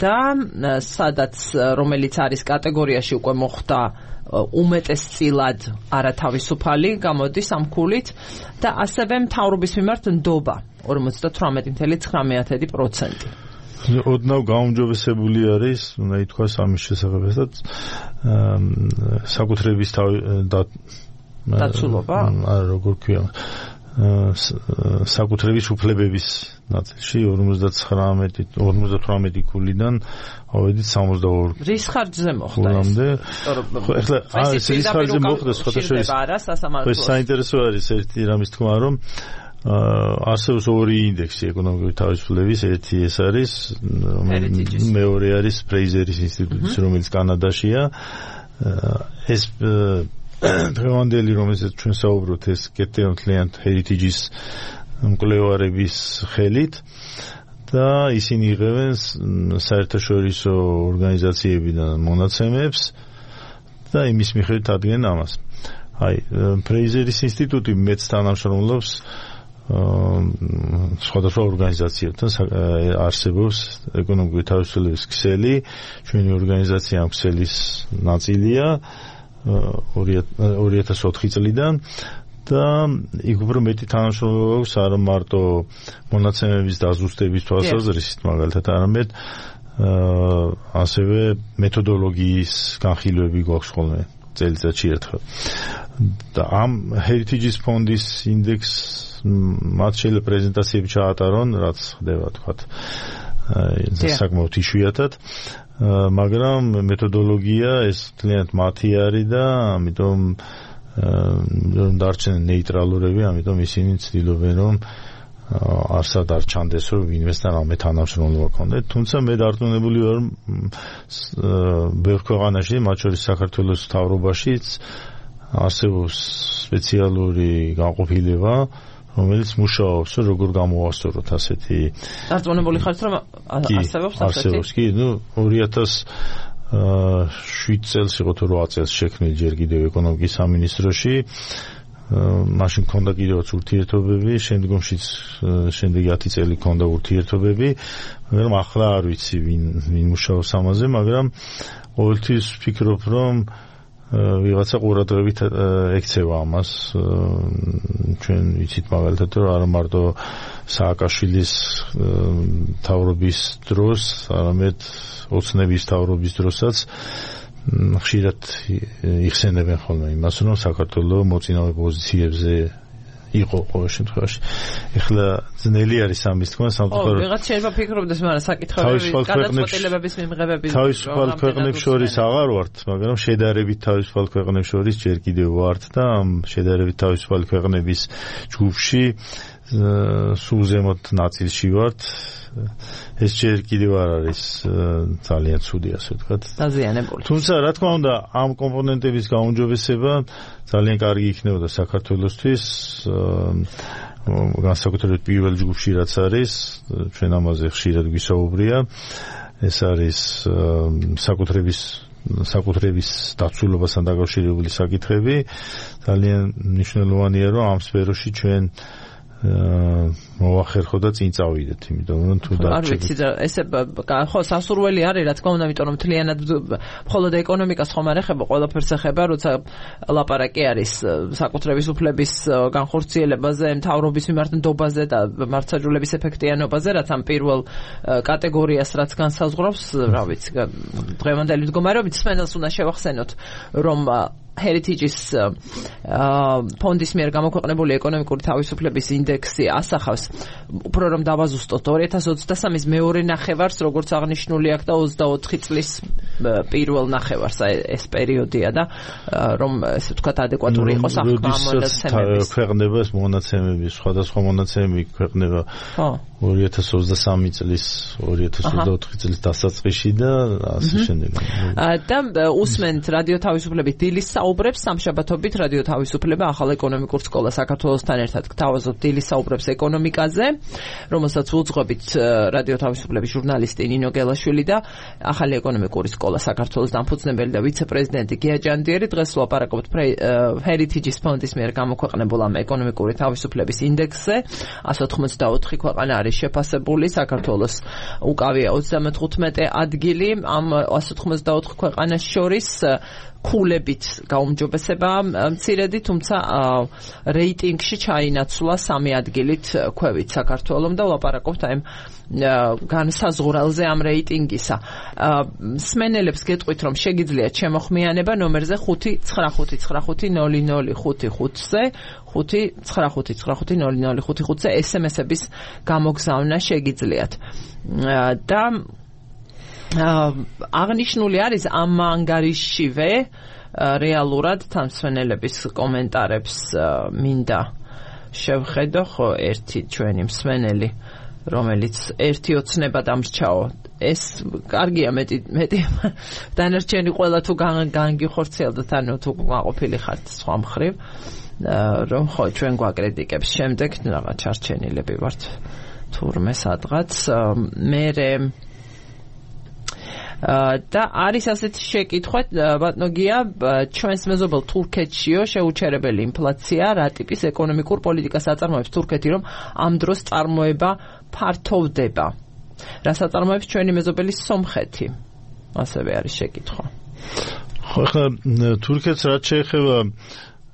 და სადაც რომელიც არის კატეგორიაში უკვე მოხდა უმეტესწილად არათავისუფალი, გამოდის ამ ქულით და ასევე მთავრობის მიმართ ნდობა 58.9%. ოდნავ გაუმჯობესებული არის, უნდა ითქვას ამის შესაძლებელად საკუთრების დაცულობა? არა, როგორ ქვია, საკუთრების უფლებების ნაწილში 58 კულიდან ავედით 62. რის ხარჯზე მოხდა ეს? ეხლა რის ხარჯზე მოხდა სხვა საინტერესო არის ერთი რამის თქმა, რომ არსებობს ორი ინდექსი ეკონომიკური თავისუფლების, ერთი ეს არის, მეორე არის ფრეიზერის ინსტიტუტის, რომელიც კანადაშია. ეს დღევანდელი, რომელზეც ჩვენ საუბრობთ, ეს კეთილმთლიანად Heritage-ის მკვლევარების ხელით და ისინი იღებენ საერთაშორისო ორგანიზაციებიდან მონაცემებს და იმის მიხედვით ადგენენ ამას. აი, ფრეიზერის ინსტიტუტი მეც თანამშრომლობს სხვადასხვა ორგანიზაციებთან, არსებობს ეკონომიკური თავისუფლების ქსელი, ჩვენი ორგანიზაცია ამ ქსელის ნაწილია 2004 წლიდან და იქ უფრო მეტი თანამშრომლობა აქვს არა მარტო მონაცემების დაზუსტების თვალსაზრისით, მაგალითად, არამედ ასევე მეთოდოლოგიის განხილვები გვაქვს ხოლმე წელიწადში ერთხელ. და ამ Heritage-ის ფონდის ინდექს მათ შეიძლება პრეზენტაციები ჩაატარონ, რაც ხდება, თქვათ, საკმაოდ იშვიათად, მაგრამ მეთოდოლოგია ეს თლიანად მათი არის და ამიტომ დარჩენენ ნეიტრალურები, ამიტომ ისინი ცდილობენ, რომ არსად არ ჩანდეს, რომ ვინმესთან რამე თანამშრომლობა ქონდეთ. თუმცა მე დარწმუნებული ვარ, რომ ბევრ ქვეყანაში, მათ შორის საქართველოს მთავრობაშიც არსებობს სპეციალური განყოფილება, რომელიც მუშაობს, როგორ გამოვასწოროთ ასეთი. დარწმუნებული ხართ, რომ არსებობს ასეთი? არსებობს, კი, 2007 წელს იყო თუ 8 წელს შექმნილი ჯერ კიდევ ეკონომიკის სამინისტროში. მაშინ ქონდა კიდევაც ურთიერთობები, შემდგომშიც შემდეგი 10 წელი ქონდა ურთიერთობები, მაგრამ ახლა არ ვიცი ვინ მუშაობს ამაზე, მაგრამ ყოველთვის ვფიქრობ, რომ ვიღაცა ყურადღებით ექცევა ამას. ჩვენ ვიცით მაგალითად, რომ არა მარტო სააკაშვილის მთავრობის დროს, არამედ ოცნების მთავრობის დროსაც ხშირად იხსენებენ ხოლმე იმას, რომ საქართველოს მოწინავე პოზიციებზე იყო ყოველ შემთხვევაში. ეხლა ძნელი არის ამის თქმა, სამწუხაროდ. ვიღაც შეიძლება ფიქრობდეს, მაგრამ საკითხები გადაწყვეტილებების მიმღებების თავისუფალ ქვეყნებს შორის აღარ ვართ, მაგრამ შედარებით თავისუფალ ქვეყნებს შორის ჯერ კიდევ ვართ და ამ შედარებით თავისუფალი ქვეყნების ჯგუფში სულ ზემოთ ნაწილში ვართ. ეს ჯერ კიდევ არ არის ძალიან ცუდი, ასე ვთქვათ. დაზიანებული. თუმცა, რა თქმა უნდა, ამ კომპონენტების გაუმჯობესება ძალიან კარგი იქნებოდა საქართველოსთვის, განსაკუთრებით პირველ ჯგუფში რაც არის, ჩვენ ამაზე ხშირად გვისაუბრია. ეს არის საკუთრების დაცულობასთან დაკავშირებული საკითხები. ძალიან მნიშვნელოვანია, რომ ამ სფეროში ჩვენ მოვახერხო და წინ წავიდეთ, იმიტომ რომ თუ არ ვიცი, ესე ხო სასურველი არის, რა თქმა უნდა, იმიტომ რომ მთლიანად მხოლოდ ეკონომიკას ხომ არ ეხება, ყველაფერს ეხება, როცა ლაპარაკი არის საკუთრების უფლების განხორციელებაზე, მთავრობის მიმართ ნდობაზე და მართლმსაჯულების ეფექტიანობაზე, რაც ამ პირველ კატეგორიას რაც განსაზღვრავს, რა ვიცი, დღევანდელი მდგომარეობით სპენელს უნდა შევახსენოთ, რომ Heritage-ის ფონდის მიერ გამოქვეყნებული ეკონომიკური თავისუფლების ინდექსი ასახავს უფრო რომ დავაზუსტოთ 2023-ის მეორე ნახევარს, როგორც აღნიშნული აქვს და 24 წლის პირველ ნახევარს, ეს პერიოდია და რომ ესე ვთქვათ ადეკვატური იყოს აღქმა მონაცემების. ქვეყნებას მონაცემები, სხვადასხვა მონაცემები ქვეყნება 2023 წლის 2024 წლის დასაწყისში და ასე შემდეგ. და უსმენთ რადიო თავისუფლების დილის საუბრებს სამშაბათობით რადიო თავისუფლება ახალ ეკონომიკურ სკოლა საქართველოსთან ერთად გთავაზობთ დილის საუბრებს ეკონომიკაზე, რომელსაც უძღვებით რადიო თავისუფლების ჟურნალისტი ნინო გელაშვილი და ახალი ეკონომიკური სკოლა საქართველოს დამფუძნებელი და ვიცე-პრეზიდენტი გია ჭანდიერი. დღეს ვლაპარაკობთ Heritage-ის ფონდის მიერ გამოქვეყნებულ ამ ეკონომიკური თავისუფლების ინდექსზე. 184 ქვეყანა არის შეფასებული, საქართველოს უკავია 35 ადგილი ამ 184 ქვეყანას შორის. ქულებით გაუმჯობესება მცირედი, თუმცა რეიტინგში ჩაინაცვლა 3 ადგილით ქვევით საქართველოს და ვლაპარაკობთ აი განსაზღვრელზე ამ რეიტინგისა. მსმენელებს გეტყვით, რომ შეგიძლიათ შემოხმიანება ნომერზე 595500555-ზე 595500555-ზე SMS-ების გამოგზავნა შეგიძლიათ. და აღნიშნული არის ამ ანგარიშშივე რეალურად თამსვენელების კომენტარებს მინდა შევხედო, ხო ერთი ჩვენი მსმენელი რომელიც ერთი ოცნება დამრჩაო. ეს კარგია მეტი დანარჩენი ყველა თუ განგიხორციელდათ, ანუ თუ გაყოფილი ხართ სხვა მხრივ, რომ ხო ჩვენ გვაკრიტიკებს შემდეგ რაღაც ჩარჩენილები ვართ თურმე სადღაც. მერე და არის ასეთი შეკითხვა, ბატონოგია, ჩვენს მეზობელ თურქეთშიო შეუჩერებელი ინფლაცია, რა ტიპის ეკონომიკურ პოლიტიკას აწარმოებს თურქეთი, რომ ამ დროს წარმოება ფართოვდება? რას აწარმოებს ჩვენი მეზობელი სომხეთი? ასევე არის შეკითხვა. ხო, ხა თურქეთს რაც შეეხება,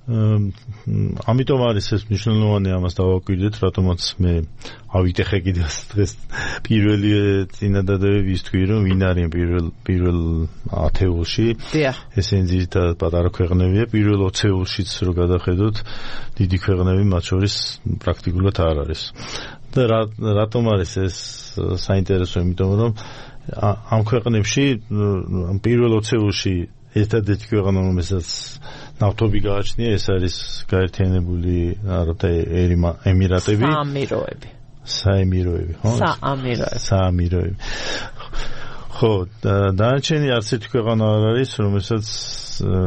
ამიტომ არის ეს მნიშვნელოვანი, ამას დავაკვირდეთ, რატომაც მე ავიტეხე კიდევ დღეს პირველი წინადადებები ვისთქვი, რომ ვინ არის პირველ ათეულში. ესენი ძირითადად პატარა ქვეყნებია, პირველ 20-ეულშიც რო გადახედოთ, დიდი ქვეყნები მათ შორის პრაქტიკულად არ არის. და რატომ არის ეს საინტერესო? იმიტომ რომ ამ ქვეყნებში პირველ 20-ეულში ერთადერთი ქვეყანა, რომელსაც ნავთობი გააჩნია, ეს არის გაერთიანებული არაბთა ემირატები. საემიროები, ხო? საამიროები. ხო, დანარჩენი არც ერთი ქვეყანა არ არის, რომელსაც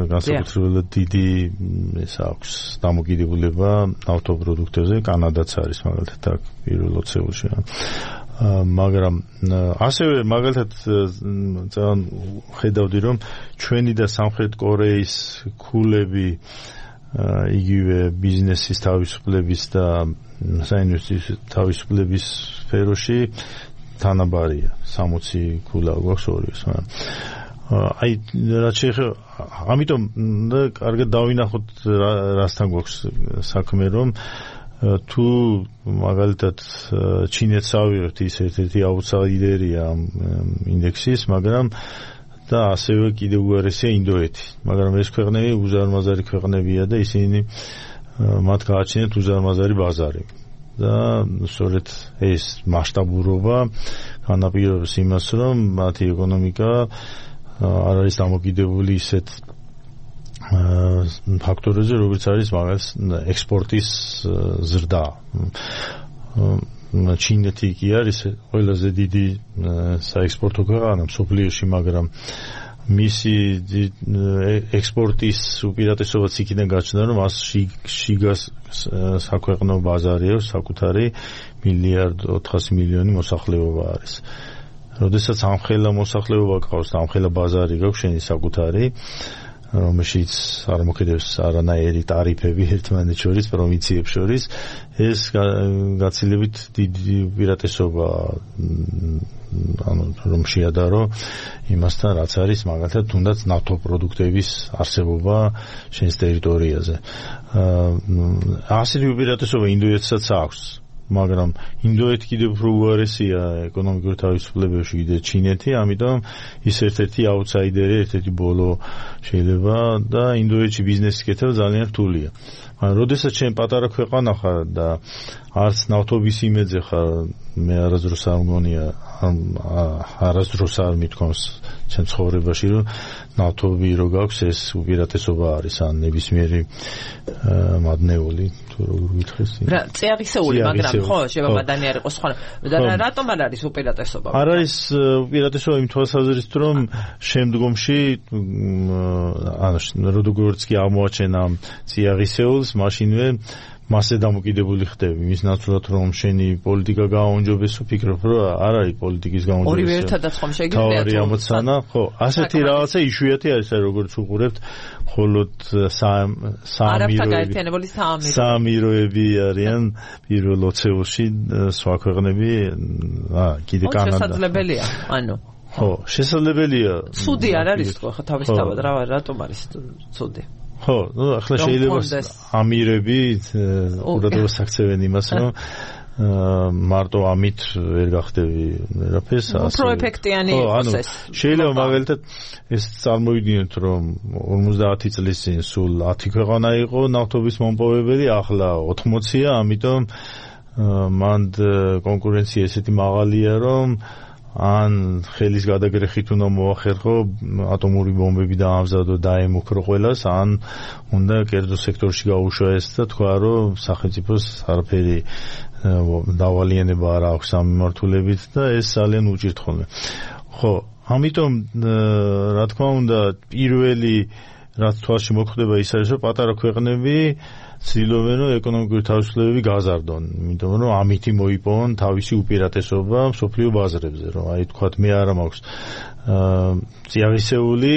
განსაკუთრებულად დიდი ეს აქვს დამოკიდებულება ნავთობპროდუქტებზე. კანადაც არის მაგალითად აქ პირველ 20-ეულში. მაგრამ ასევე მაგალითად ძალიან ხედავდი, რომ ჩვენი და სამხრეთ კორეის ქულები იგივე ბიზნესის თავისუფლების და საინვესტიციო თავისუფლების სფეროში თანაბარია. 60 ქულა გვაქვს ორივეს. აი რაც შეეხება, ამიტომ კარგად დავინახოთ რასთან გვაქვს საქმე, რომ თუ მაგალითად ჩინეთს ავიღებთ, ის ერთ-ერთი აუტსაიდერია ამ ინდექსის, მაგრამ და ასევე კიდევ უარესია ინდოეთი. მაგრამ ეს ქვეყნები უზარმაზარი ქვეყნებია და ისინი მათ გააჩნიათ უზარმაზარი ბაზარი. და სწორედ ეს მასშტაბურობა განაპირობებს იმას, რომ მათი ეკონომიკა არ არის დამოკიდებული ისეთ ფაქტორებზე, როგორც არის მაგას ექსპორტის ზრდა. ჩინეთი კი არის ყველაზე დიდი საექსპორტო ქვეყანა მსოფლიოში, მაგრამ მისი ექსპორტის უპირატესობაც იქიდან გაჩნდა, რომ მას შიგას საქვეყნო ბაზარი აქვს, საკუთარი 1,400,000,000 მოსახლეობა არის. როდესაც ამხელა მოსახლეობა გყავს, ამხელა ბაზარი გაქვს შენი საკუთარი, რომელშიც არ მოქმედებს არანაირი ტარიფები ერთმანეთს შორის, პროვინციებს შორის, ეს გაცილებით დიდი უპირატესობა, ანუ რომ შეადარო იმასთან, რაც არის მაგალითად თუნდაც ნავთობპროდუქტების არსებობა შენს ტერიტორიაზე. ასეთი უპირატესობა ინდოეთსაც აქვს, მაგრამ ინდოეთი კიდევ უფრო უარესია ეკონომიკურ თავისუფლებებში ვიდრე ჩინეთი, ამიტომ ის ერთ-ერთი აუტსაიდერი, ერთ-ერთი ბოლო შეიძლება და ინდოეთში ბიზნესის კეთება ძალიან რთულია. მაგრამ როდესაც შენ პატარა ქვეყანა ხარ და არც ნავთობის იმედზე ხარ, მე არასდროს არ მგონია, არასდროს არ მithქვამს ჩემ ცხოვრებაში, რომ ნავთობი რო გაქვს, ეს უპირატესობა არის, ან ნებისმიერი მადნეული, თუ როგორ გითხრეს. რა, წიაღისეული, მაგრამ ხო, შევაბადანი არ იყოს სხვა. და რატომ არ არის უპირატესობა? არ არის უპირატესობა იმ თვალსაზრისით, რომ შემდგომში, ანუ როგორც კი აღმოაჩენ ამ წიაღისეულს, მაშინვე მასზე დამოკიდებული ხდები, მის ნაცვლად რომ შენი პოლიტიკა გააუნჯობეს, ვფიქრობ, რომ არ არის პოლიტიკის გაუნჯობესება. ორივე ერთადაც ხომ შეგიძლიათ? თავარი ამოცანა, ხო, ასეთი რაღაცა იშვიათი არის, როგორც უყურებთ, მხოლოდ საამიროები არიან პირველ 20-ეულში, სხვა ქვეყნები, კიდე კანადა. შესაძლებელია, ანუ ხო, შესაძლებელია. ცუდი არ არის თქო, ხო თავისთავად რატომ არის ცუდი? ხო, ნუ ახლა შეიძლება ამირები ყურადღებას აქცევენ იმას, რომ მარტო ამით ვერ გახდები რაფერს ასე. პროეფექტიანი იყოს ეს. შეიძლება მაგალითად ეს წარმოვიდგინოთ, რომ 50 წლის წინ სულ 10 ქვეყანა იყო ნავთობის მომპოვებელი, ახლა 80-ია, ამიტომ მან კონკურენცია ესეთი მაღალია, რომ ან ხელის გადაგრეხით უნდა მოახერხო ატომური ბომბები დაამზადო დაემუქრო ყველას, ან უნდა კერძო სექტორში გაუშვა ეს და თქვა, რომ სახელმწიფოს არაფერი დავალიანება არ აქვს ამ მიმართულებით და ეს ძალიან უჭირთ ხოლმე. ხო, ამიტომ რა თქმა უნდა პირველი რაც თვალში მოხვდება ის არის, რომ პატარა ქვეყნები ცდილობენ, რომ ეკონომიკური თავისუფლებები გაზარდონ, იმიტომ რომ ამითი მოიპოვონ თავისი უპირატესობა მსოფლიო ბაზრებზე, რომ აი თქვათ მე არა მაქვს წიაღისეული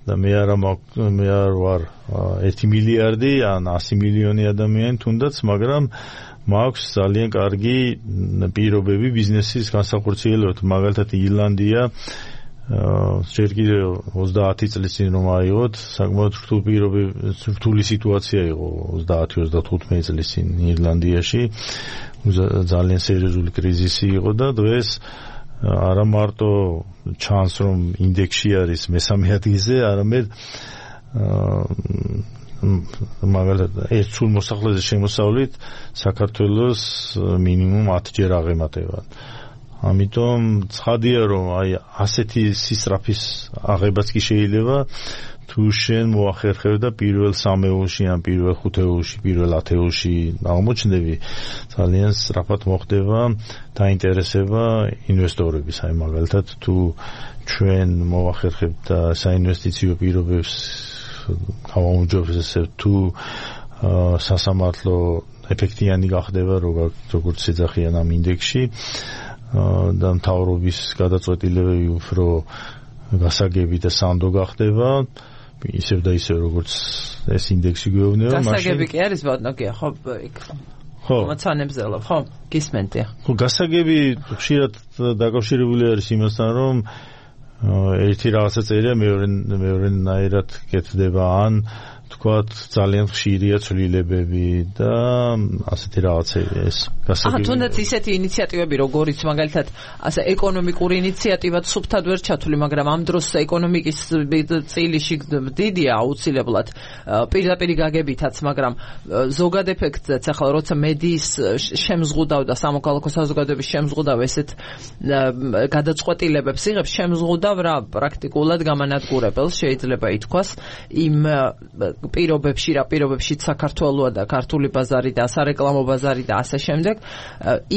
და მე არ ვარ 1 მილიარდი ან 100 მილიონი ადამიანი თუნდაც, მაგრამ მაქვს ძალიან კარგი პირობები ბიზნესის განსახორციელებლად, მაგალითად ირლანდია ჯერ კიდევ 30 წლის წინ რომ აიღოთ, საკმაოდ რთული სიტუაცია იყო 30-35 წლის წინ ირლანდიაში, ძალიან სერიოზული კრიზისი იყო და დღეს არა მარტო ჩანს რომ ინდექსში არის მესამე ადგილზე, არამედ მაგალითად ერთ სულ მოსახლეზე შემოსავლით საქართველოს მინიმუმ 10 ჯერ აღემატება. ამიტომ ცხადია რომ აი ასეთი სისწრაფის აღებაც კი შეიძლება თუ შენ მოახერხებ და პირველ 3-ეულში ან პირველ 5-ეულში, პირველ 10-ეულში აღმოჩნდები, ძალიან სწრაფად მოხდება დაინტერესება ინვესტორების. აი მაგალითად თუ ჩვენ მოახერხებთ საინვესტიციო პირობებს გავაუმჯობესებთ, თუ სასამართლო ეფექტიანი გახდება როგორც ეძახიან ამ ინდექსში და მთავრობის გადაწყვეტილებები უფრო გასაგები და სანდო გახდება, ისევ და ისევ როგორც ეს ინდექსი გვეუბნება, მაშინ გასაგები კი არის ბატონო, ხო იქ ხო მოცანებზელა, ხო გისმენთ. ხო, გასაგები ხშირად დაკავშირებული არის იმასთან, რომ ერთი რაღაცა წერია მეორენაირად კეთდება, ან თქვათ ძალიან ხშირია ცვლილებები და ასეთი რაღაცებია ეს გასაგები. თუნდაც ისეთი ინიციატივები როგორიც მაგალითად ასე ეკონომიკური ინიციატივაც სუფთად ვერ ჩათვლი, მაგრამ ამ დროს ეკონომიკის წილიში დიდია აუცილებლად პირდაპირ გაგებითაც, მაგრამ ზოგად ეფექტზეც ახლა როცა მედიის შემზღუდავ და სამოქალაქო საზოგადოების შემზღუდავ ესეთ გადაწყვეტილებებს იღებს, შემზღუდავ რა პრაქტიკულად გამანადგურებელს შეიძლება ითქვას იმ პირობებში საქართველოა და ქართული ბაზარი და სარეკლამო ბაზარი და ასე შემდეგ,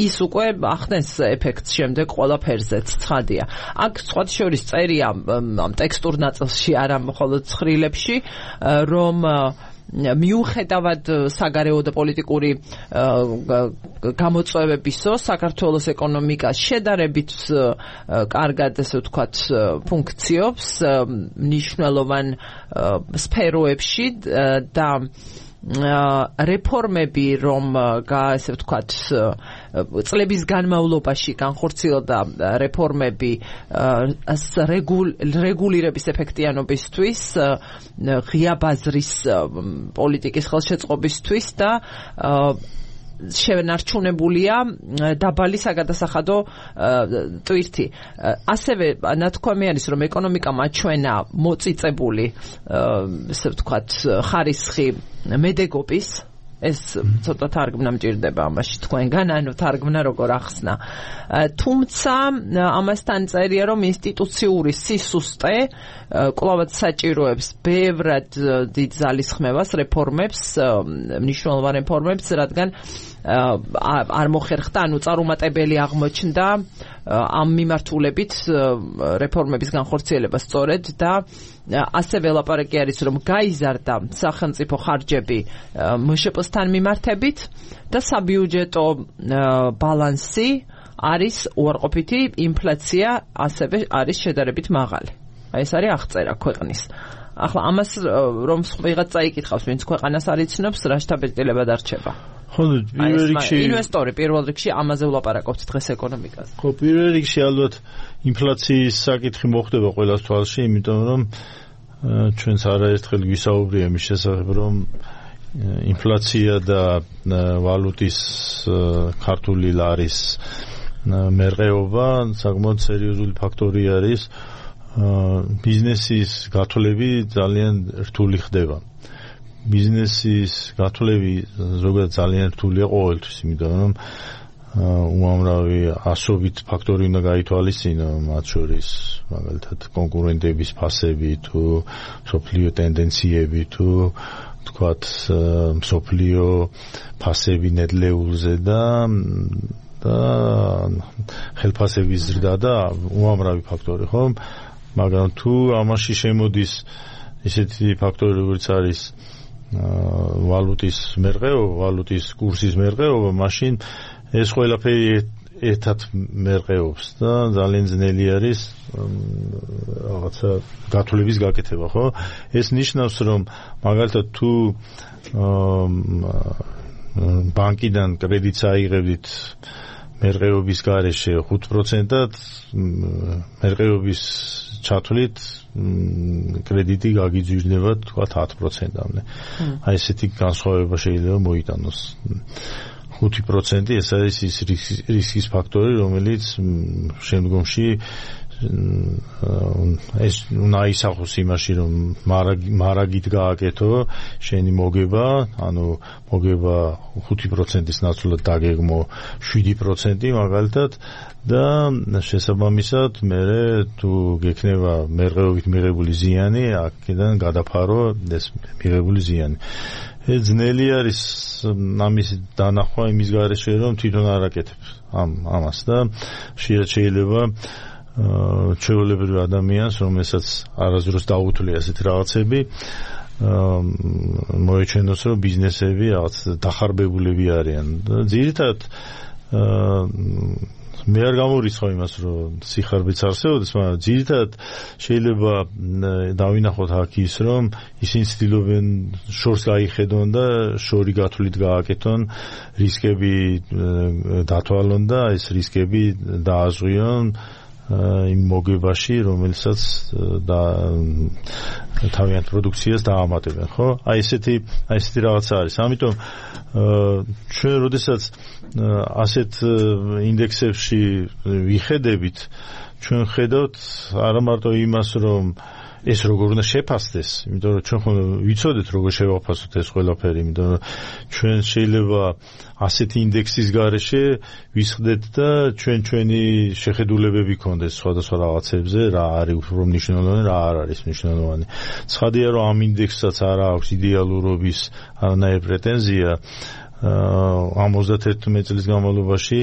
ის უკვე ახდენს ეფექტს შემდეგ ყველაფერზეც ცხადია. აქ სხვა შორის წერია ამ ტექსტურ ნაწილში, არა მხოლოდ ცხრილებში, რომ მიუხედავად საგარეო და პოლიტიკური გამოწვევებისო, საქართველოს ეკონომიკა შედარებით კარგად, ესე ვთქვათ, ფუნქციობს მნიშვნელოვან სფეროებში და რეფორმები, რომ ესე ვთქვათ, წლების განმავლობაში განხორციელდა რეფორმები რეგულირების ეფექტიანობისთვის, ღია ბაზრის პოლიტიკის ხელშეწყობისთვის და შენარჩუნებულია დაბალი საგადასახადო ტვირთი. ასევე ნათქვამი არის, რომ ეკონომიკა მაჩვენა მოწიწებული, ესე ვთქვათ, ხარისხი მედეგობის. ეს ცოტა თარგმნა მჭირდება ამაში თქვენგან, ანუ თარგმნა როგორ ახსნა. თუმცა ამასთან წერია, რომ ინსტიტუციური სისუსტე კვლავაც საჭიროებს ბევრად დიდ ძალისხმევას, რეფორმებს, მნიშვნელოვან რეფორმებს, რადგან არ მოხერხდა, ანუ წარუმატებელი აღმოჩნდა ამ მიმართულებით რეფორმების განხორციელება სწორედ და ასევე ლაპარაკი არის, რომ გაიზარდა სახელმწიფო ხარჯები მშპ-სთან მიმართებით და საბიუჯეტო ბალანსი არის უარყოფითი, ინფლაცია ასევე არის შედარებით მაღალი. ეს არის აღწერა ქვეყნის. ახლა ამას რომ ვიღაც წაიკითხავს, ვინც ქვეყანას არ იცნობს, რა შთაბეჭდილება დარჩება? ხო, პირველ რიგში ინვესტორი პირველ რიგში ამაზე ვლაპარაკობთ დღეს ეკონომიკაზე. ხო, პირველ რიგში ალბათ ინფლაციის საკითხი მოხდება ყველას თვალში, იმიტომ რომ ჩვენც არაერთხელ გვისაუბრია მის შესახებ, რომ ინფლაცია და ვალუტის ქართული ლარის მერყეობა საკმაოდ სერიოზული ფაქტორი არის. ბიზნესის გათვლები ძალიან რთული ხდება. ბიზნესის გათვლები ზოგადად ძალიან რთულია ყოველთვის, იმიტომ რომ უამრავი ასობით ფაქტორი უნდა გაითვალისწინო, მათ შორის მაგალითად კონკურენტების ფასები თუ მსოფლიო ტენდენციები თუ თქვათ მსოფლიო ფასები ნედლეულზე და ხელფასების ზრდა და უამრავი ფაქტორი, ხო? მაგრამ თუ ამაში შემოდის ისეთი ფაქტორი, როგორც არის ვალუტის მერყეობა, ვალუტის კურსის მერყეობა, მაშინ ეს ყველაფერი ერთად მერყეობს და ძალიან ძნელი არის რაღაცა გათვლების გაკეთება, ხო? ეს ნიშნავს, რომ მაგალითად თუ ბანკიდან კრედიტს აიღებდით მერყეობის გარეშე 5%-ად, მერყეობის ჩათვლით კრედიტი გაგიძვირდება თქვა 10%-ამდე. აი ესეთი განსხვავება შეიძლება მოიტანოს. 5% ეს არის ის რისკის ფაქტორი, რომელიც შემდგომში ეს უნდა ისახოს იმაში, რომ მარაგით გააკეთო შენი მოგება, ანუ მოგება 5%-ის ნაცვლად დაგეგმო 7% მაგალითად და შესაბამისად მე თუ გექნება მერყეობით მიღებული ზიანი, აქედან გადაფარო ეს მიღებული ზიანი. ძნელი არის ამის დანახვა იმის გარეშე, რომ თვითონ არ აკეთებს ამას და შეიძლება ჩვეულებრივ ადამიანს, რომელსაც არასდროს დაუთვლია ასეთ რაღაცები, მოეჩვენოს, რომ ბიზნესები რაღაც დახარბებულები არიან. ძირითადად მე არ გამორიცხავ იმას, რომ სიხარბეც არსებობს, მაგრამ ძირითადად შეიძლება დავინახოთ აქ ის, რომ ისინი ცდილობენ შორს გაიხედონ და შორი გათვლით გააკეთონ, რისკები დათვალონ და ეს რისკები დააზღვიონ იმ მოგებაში, რომელსაც თავიანთ პროდუქციას დაამატებენ, ხო? აი ესეთი რაღაცა არის. ამიტომ ჩვენ როდესაც ასეთ ინდექსებში ვიხედებით, ჩვენ ხედავთ არა მარტო იმას, რომ ეს როგორ უნდა შეფასდეს, იმიტომ რომ ჩვენ ხომ ვიცოდეთ როგორ შევაფასოთ ეს ყველაფერი, იმიტომ რომ ჩვენ შეიძლება ასეთი ინდექსის გარეშე ვისხდეთ და ჩვენი შეხედულებები გქონდეს სხვადასხვა რაღაცებზე, რა არის უფრო მნიშვნელოვანი, რა არ არის მნიშვნელოვანი. ცხადია, რომ ამ ინდექსსაც არ აქვს იდეალურობის არანაირი პრეტენზია. ამ 31 წლის განმავლობაში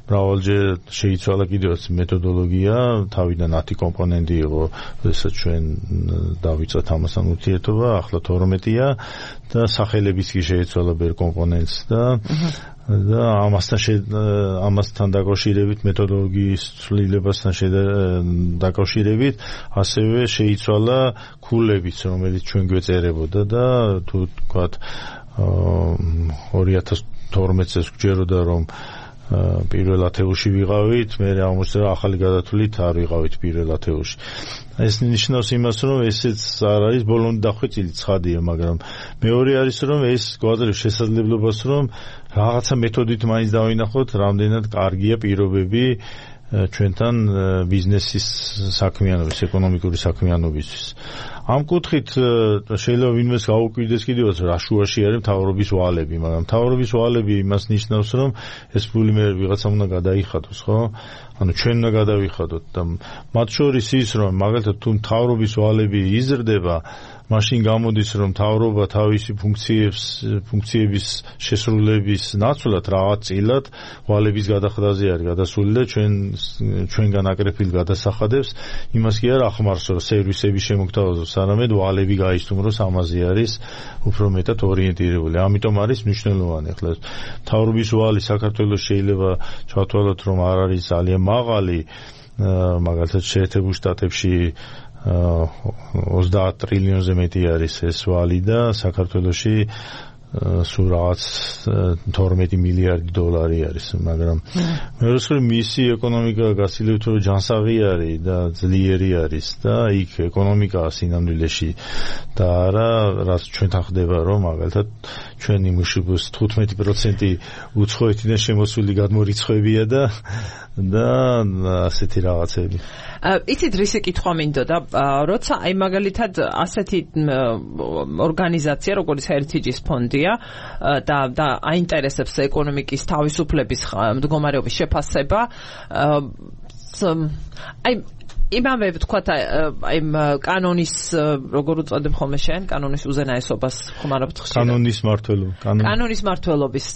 მრავალჯერ შეიცვალა კიდევაც მეთოდოლოგია, თავიდან 10 კომპონენტი იყო, როდესაც ჩვენ დავიწყეთ ამასთან ურთიერთობა, ახლა 12-ია და სახელებიც კი შეიცვალა ბერ კომპონენტს და ამასთან დაკავშირებით, მეთოდოლოგიის ცვლილებასთან დაკავშირებით, ასევე შეიცვალა ქულებიც, რომელიც ჩვენ გვეწერებოდა და თუ თქვათ 2012 წელს გვჯეროდა, რომ პირველ ათეულში ვიყავით, მე აღმოჩნდა ახალი გადათვლით არ ვიყავით პირველ ათეულში. ეს ნიშნავს იმას, რომ ესეც არ არის ბოლომდე დახვეწილი, ცხადია, მაგრამ მეორე არის, რომ ეს გვაძლევს შესაძლებლობას, რომ რაღაცა მეთოდით მაინც დავინახოთ, რამდენად კარგია პირობები ჩვენთან ბიზნესის საქმიანობის, ეკონომიკური საქმიანობისთვის. ამ კუთხით შეიძლება ვინმეს გაუკვირდეს კიდევაც რა შუაში არის მთავრობის ვალები, მაგრამ მთავრობის ვალები იმას ნიშნავს, რომ ეს ფული მე ვიღაცამ უნდა გადაიხადოს, ხო? ანუ ჩვენ უნდა გადავიხადოთ და მათ შორის ის, რომ მაგალითად თუ მთავრობის ვალები იზრდება, მაშინ გამოდის, რომ მთავრობა თავისი ფუნქციების შესრულების ნაცვლად რაღაც წილად ვალების გადახვედაზე არის გადასული და ჩვენგან აკრეფილ გადასახადებს იმას კი არ ახმარს, რომ სერვისები შემოგთავაზოს, არამედ ვალები გაისტუმროს, ამაზე არის უფრო მეტად ორიენტირებული. ამიტომ არის მნიშვნელოვანი. ახლა მთავრობის ვალი საქართველოს შეიძლება ჩავთვალოთ, რომ არ არის ძალიან მაღალი, მაგალითად შეერთებულ შტატებში 30 ტრილიონზე მეტი არის ეს ვალი და საქართველოში სულ რაღაც 12 მილიარდი დოლარი არის, მაგრამ მეორე მხრივ მისი ეკონომიკა გასილევთ რომ ჯანსაღი არის და ძლიერი არის და იქ ეკონომიკაა სინამდვილეში და არა რაც ჩვენთან ხდება რომ მაგალითად ჩვენი მუშების 15% უცხოეთიდან შემოსული გადმორიცხვებია და ასეთი რაღაცები. იცით რისი კითხვა მინდოდა, როცა აი მაგალითად ასეთი ორგანიზაცია როგორც Heritage-ის ფონდია და აინტერესებს ეკონომიკის თავისუფლების მდგომარეობის შეფასება, აი იმავე ვთქვათ აი კანონის როგორ უწოდებ ხოლმე შენ კანონის უზენაესობას ხმარობთ ხშირად კანონის მართლობის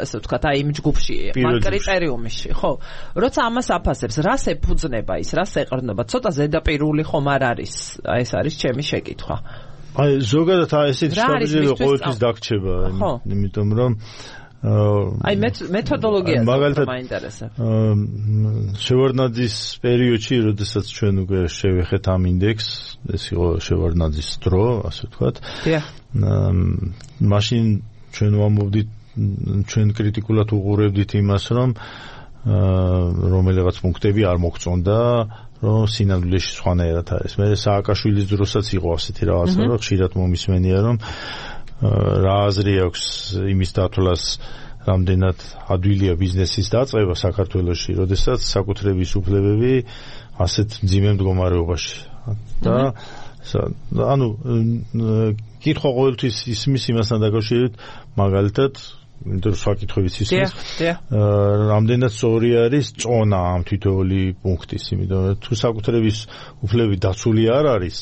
ასე ვთქვათ აი იმ ჯგუფში კრიტერიუმში ხო როცა ამას აფასებს რას ეფუძნება ის რას ეყრდნობა ცოტა ზედაპირული ხომ არ არის აი ეს არის ჩემი შეკითხვა აი ზოგადად ესეთი შტაბიჟელი ყოველთვის დაგრჩება იმიტომ რომ აი მეთოდოლოგია მაინტერესებს. შევარდნაძის პერიოდში, როდესაც ჩვენ უკვე შევეხეთ ამ ინდექსს, ეს იყო შევარდნაძის დრო, ასე ვთქვათ. მაშინ ჩვენ ვამბობდით, ჩვენ კრიტიკულად უყურებდით იმას, რომ რომელიღაც პუნქტები არ მოგწონდა, რომ სინამდვილეში სხვანაირად არის. მე სააკაშვილის დროსაც იყო ასეთი რაღაცა, რომ ხშირად მომისმენია, რომ რა აზრი აქვს იმის დათვლას რამდენად ადვილია ბიზნესის დაწყება საქართველოში, როდესაც საკუთრების უფლებები ასეთ მძიმე მდგომარეობაში. და ანუ კითხვა ყოველთვის ისმის იმასთან დაკავშირებით, მაგალითად, იმიტომ რომ საკითხებიც ისმის, რამდენად სწორი არის წონა ამ თითოეული პუნქტის, იმიტომ რომ თუ საკუთრების უფლებები დაცული არ არის,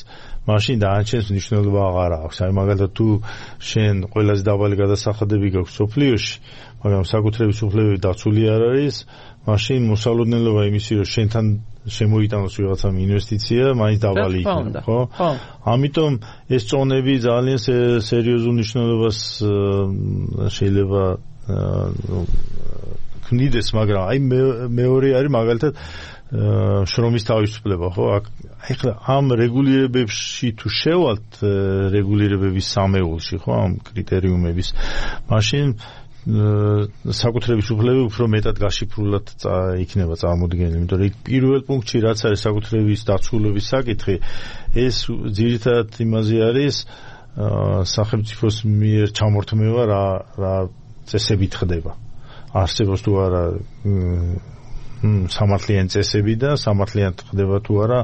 მაშინ დაანჩენს მნიშვნელობა აღარ აქვს. აი მაგალითად თუ შენ ყველაზე დაბალი გადასახადები გაქვს სოფლიოში, მაგრამ საკუთრების უფლებები დაცული არ არის, მაშინ მოსალოდნელობა იმისი რომ შენთან შემოიტანოს ვიღაცამ ინვესტიცია, მაინც დაბალი იქნება, ხო? ამიტომ ეს წონები ძალიან სერიოზულ მნიშვნელობას შეიძლება ქმნიდეს, მაგრამ აი მეორე არის მაგალითად შრომის თავისუფლება, ხო? ეხლა ამ რეგულირებებში თუ შევალთ რეგულირებების სამეულში, ხო, ამ კრიტერიუმების, მაშინ საკუთრების უფლებები უფრო მეტად გაშიფრულად იქნება წარმოდგენილი, იმიტომ რომ პირველ პუნქტში რაც არის საკუთრების დაცულობის საკითხი, ეს ძირითადად იმაზე არის სახელმწიფოს მიერ ჩამორთმევა რა წესებით ხდება. არსებობს თუ არა სამართლიანი წესები და სამართლიანად ხდება თუ არა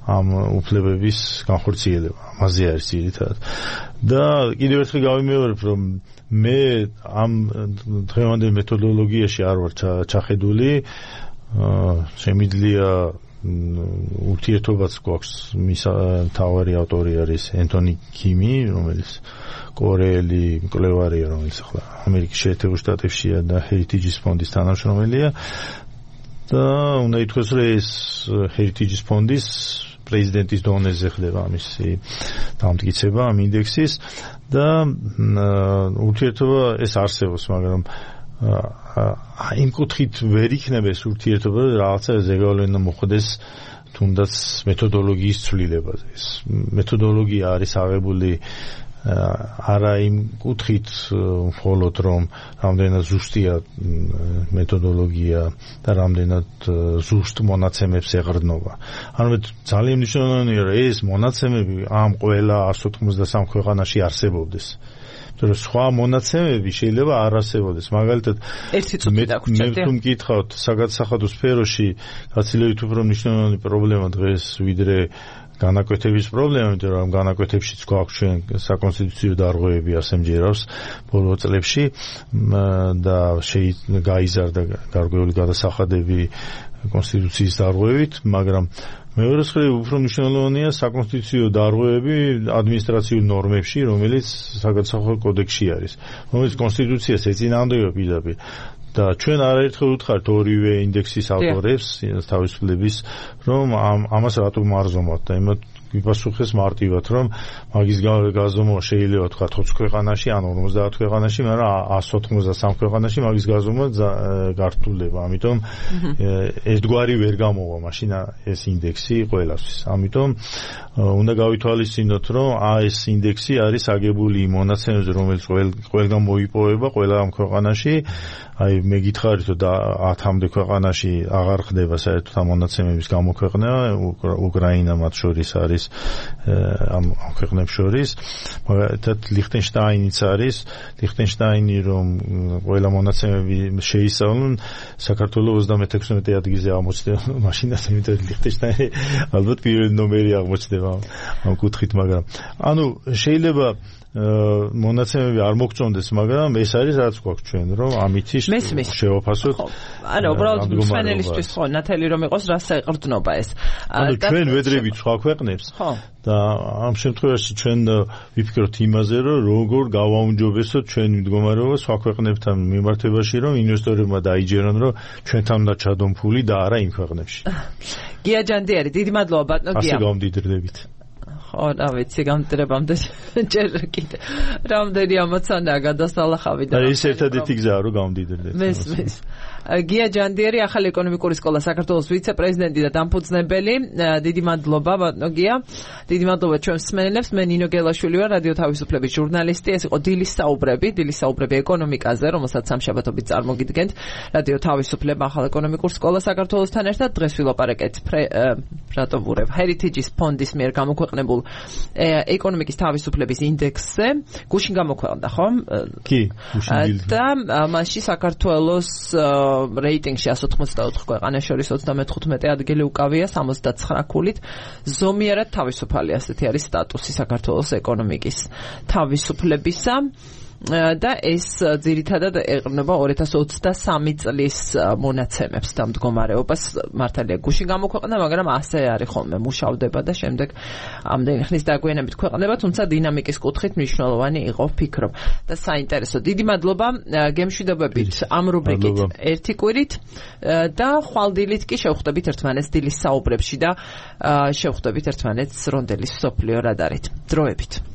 ამ უფლებების განხორციელება. ამაზე არის ძირითადად. და კიდევ ერთხელ გავიმეორებ, რომ მე ამ დღევანდელ მეთოდოლოგიაში არ ვარ ჩახედული. შემიძლია ურთიერთობაც გვაქვს, მის მთავარი ავტორი არის ენტონი კიმი, რომელიც კორეელი მკვლევარია, რომელიც ახლა ამერიკის შეერთებულ შტატებშია და Heritage-ის ფონდის თანამშრომელია. და უნდა ითქვას, რომ ეს Heritage-ის ფონდის პრეზიდენტის დონეზე ხდება ამისი დამტკიცება ამ ინდექსის და ურთიერთობა ეს არსებობს, მაგრამ იმ კუთხით ვერ იქნება ეს ურთიერთობა, რაღაცა ზეგავლენა მოხდეს თუნდაც მეთოდოლოგიის ცვლილებაზე. ეს მეთოდოლოგია არის აღებული არა იმ კუთხით მხოლოდ რომ რამდენად ზუსტია მეთოდოლოგია და რამდენად ზუსტ მონაცემებს ეყრდნობა. ანუ ძალიან მნიშვნელოვანია რომ ეს მონაცემები ამ ყველა 193 ქვეყანაში არსებობდეს. იმიტომ რომ სხვა მონაცემები შეიძლება არ არსებობდეს. მაგალითად მე თუ მკითხავთ საგადასახადო სფეროში გაცილებით უფრო მნიშვნელოვანი პრობლემა დღეს ვიდრე განაკვეთების პრობლემა, იმიტომ რომ განაკვეთებშიც გვაქვს ჩვენ საკონსტიტუციო დარღვევები ასემჯერავს ბოლო წლებში და გაიზარდა გარკვეული გადასახადები კონსტიტუციის დარღვევით, მაგრამ მეორე მხრივ უფრო მნიშვნელოვანია საკონსტიტუციო დარღვევები ადმინისტრაციულ ნორმებში, რომელიც საგადასახადო კოდექსში არის, რომელიც კონსტიტუციას ეწინააღმდება პირდაპირ. და ჩვენ არაერთხელ ვუთხართ ორივე ინდექსის ავტორებს თავისუფლების, რომ ამას რატომ არ ზომავთ და მიპასუხეს მარტივად, რომ მაგის გაზომვა შეიძლება თქვა 20 ქვეყანაში ან 50 ქვეყანაში, მაგრამ 193 ქვეყანაში მაგის გაზომვა გართულდება. ამიტომ ერთგვარი ვერ გამოვა მაშინ ეს ინდექსი ყველასთვის. ამიტომ უნდა გავითვალისწინოთ, რომ ეს ინდექსი არის აგებული იმ მონაცემებზე, რომელიც ყველგან მოიპოვება ყველა ამ ქვეყანაში. აი მე გითხარით, რომ 10-მდე ქვეყანაში აღარ ხდება საერთოდ ამ მონაცემების გამოქვეყნება, უკრაინა მათ შორის არის ამ ქვეყნებს შორის, მაგალითად ლიხტენშტაინიც არის, ლიხტენშტაინი რომ ყველა მონაცემები შეისწავლონ, საქართველოს 36 ადგილზე აღმოჩნდება მაშინაც, იმიტომ რომ ლიხტენშტაინი ალბათ პირველი ნომერი აღმოჩნდება ამ კუთხით, მაგრამ ანუ შეიძლება მონაცემები არ მოგწონდეს, მაგრამ ეს არის რაც გვაქვს ჩვენ, რომ ამითი შევაფასოთ. ანუ უბრალოდ მსმენელისთვის ხო, ნათელი რომ იყოს, რას ეყრდნობა ეს. ანუ ჩვენ ვედრებით სხვა ქვეყნებს და ამ შემთხვევაში ჩვენ ვიფიქროთ იმაზე, რომ როგორ გავაუმჯობესოთ ჩვენი მდგომარეობა სხვა ქვეყნებთან მიმართებაში, რომ ინვესტორებმა დაიჯერონ, რომ ჩვენთან უნდა ჩადონ ფული და არა იმ ქვეყნებში. გია ჯანდიერი, დიდი მადლობა ბატონო გია. ასე გამდიდრდებით. ხო, რა ვიცი, გამდიდრებამდე ჯერ კიდე რამდენი ამოცანაა გადასალახავი და ეს ერთადერთი გზაა, რომ გამდიდრდეთ. მესმის. გია ჯანდიერი, ახალი ეკონომიკური სკოლა საქართველოს ვიცე-პრეზიდენტი და დამფუძნებელი. დიდი მადლობა ბატონო გია. დიდი მადლობა ჩვენ მსმენელებს. მე ნინო გელაშვილი ვარ, რადიო თავისუფლების ჟურნალისტი. ეს იყო დილის საუბრები ეკონომიკაზე, რომელსაც სამშაბათობით წარმოგიდგენთ. რადიო თავისუფლება ახალ ეკონომიკურ სკოლას საქართველოსთან ერთად. დღეს ვილაპარაკეთ რატოვურებ Heritage-ის ფონდის მიერ გამოქვეყნებულ ეკონომიკის თავისუფლების ინდექსზე. გუშინ გამოქვეყნდა, ხო? კი, გუშინ. და მასში საქართველოს რეიტინგში 184 ქვეყანას შორის 35 ადგილი უკავია 79 ქულით. ზომიერად თავისუფალი, ასეთი არის სტატუსი საქართველოს ეკონომიკის თავისუფლებისა. და ეს ძირითადად ეყრდნობა 2023 წლის მონაცემებს და მდგომარეობას. მართალია გუშინ გამოქვეყნდა, მაგრამ ასე არის ხოლმე, მუშავდება და შემდეგ ამდენი ხნის დაგვიანებით ქვეყნდება, თუმცა დინამიკის კუთხით მნიშვნელოვანი იყო ფიქრობ და საინტერესო. დიდი მადლობა, გემშვიდობებით ამ რუბრიკით ერთი კვირით და ხვალდილით კი შევხვდებით ერთმანეთს დილის საუბრებში და შევხვდებით ერთმანეთს რონდელის სოფლიო რადარით. დროებით.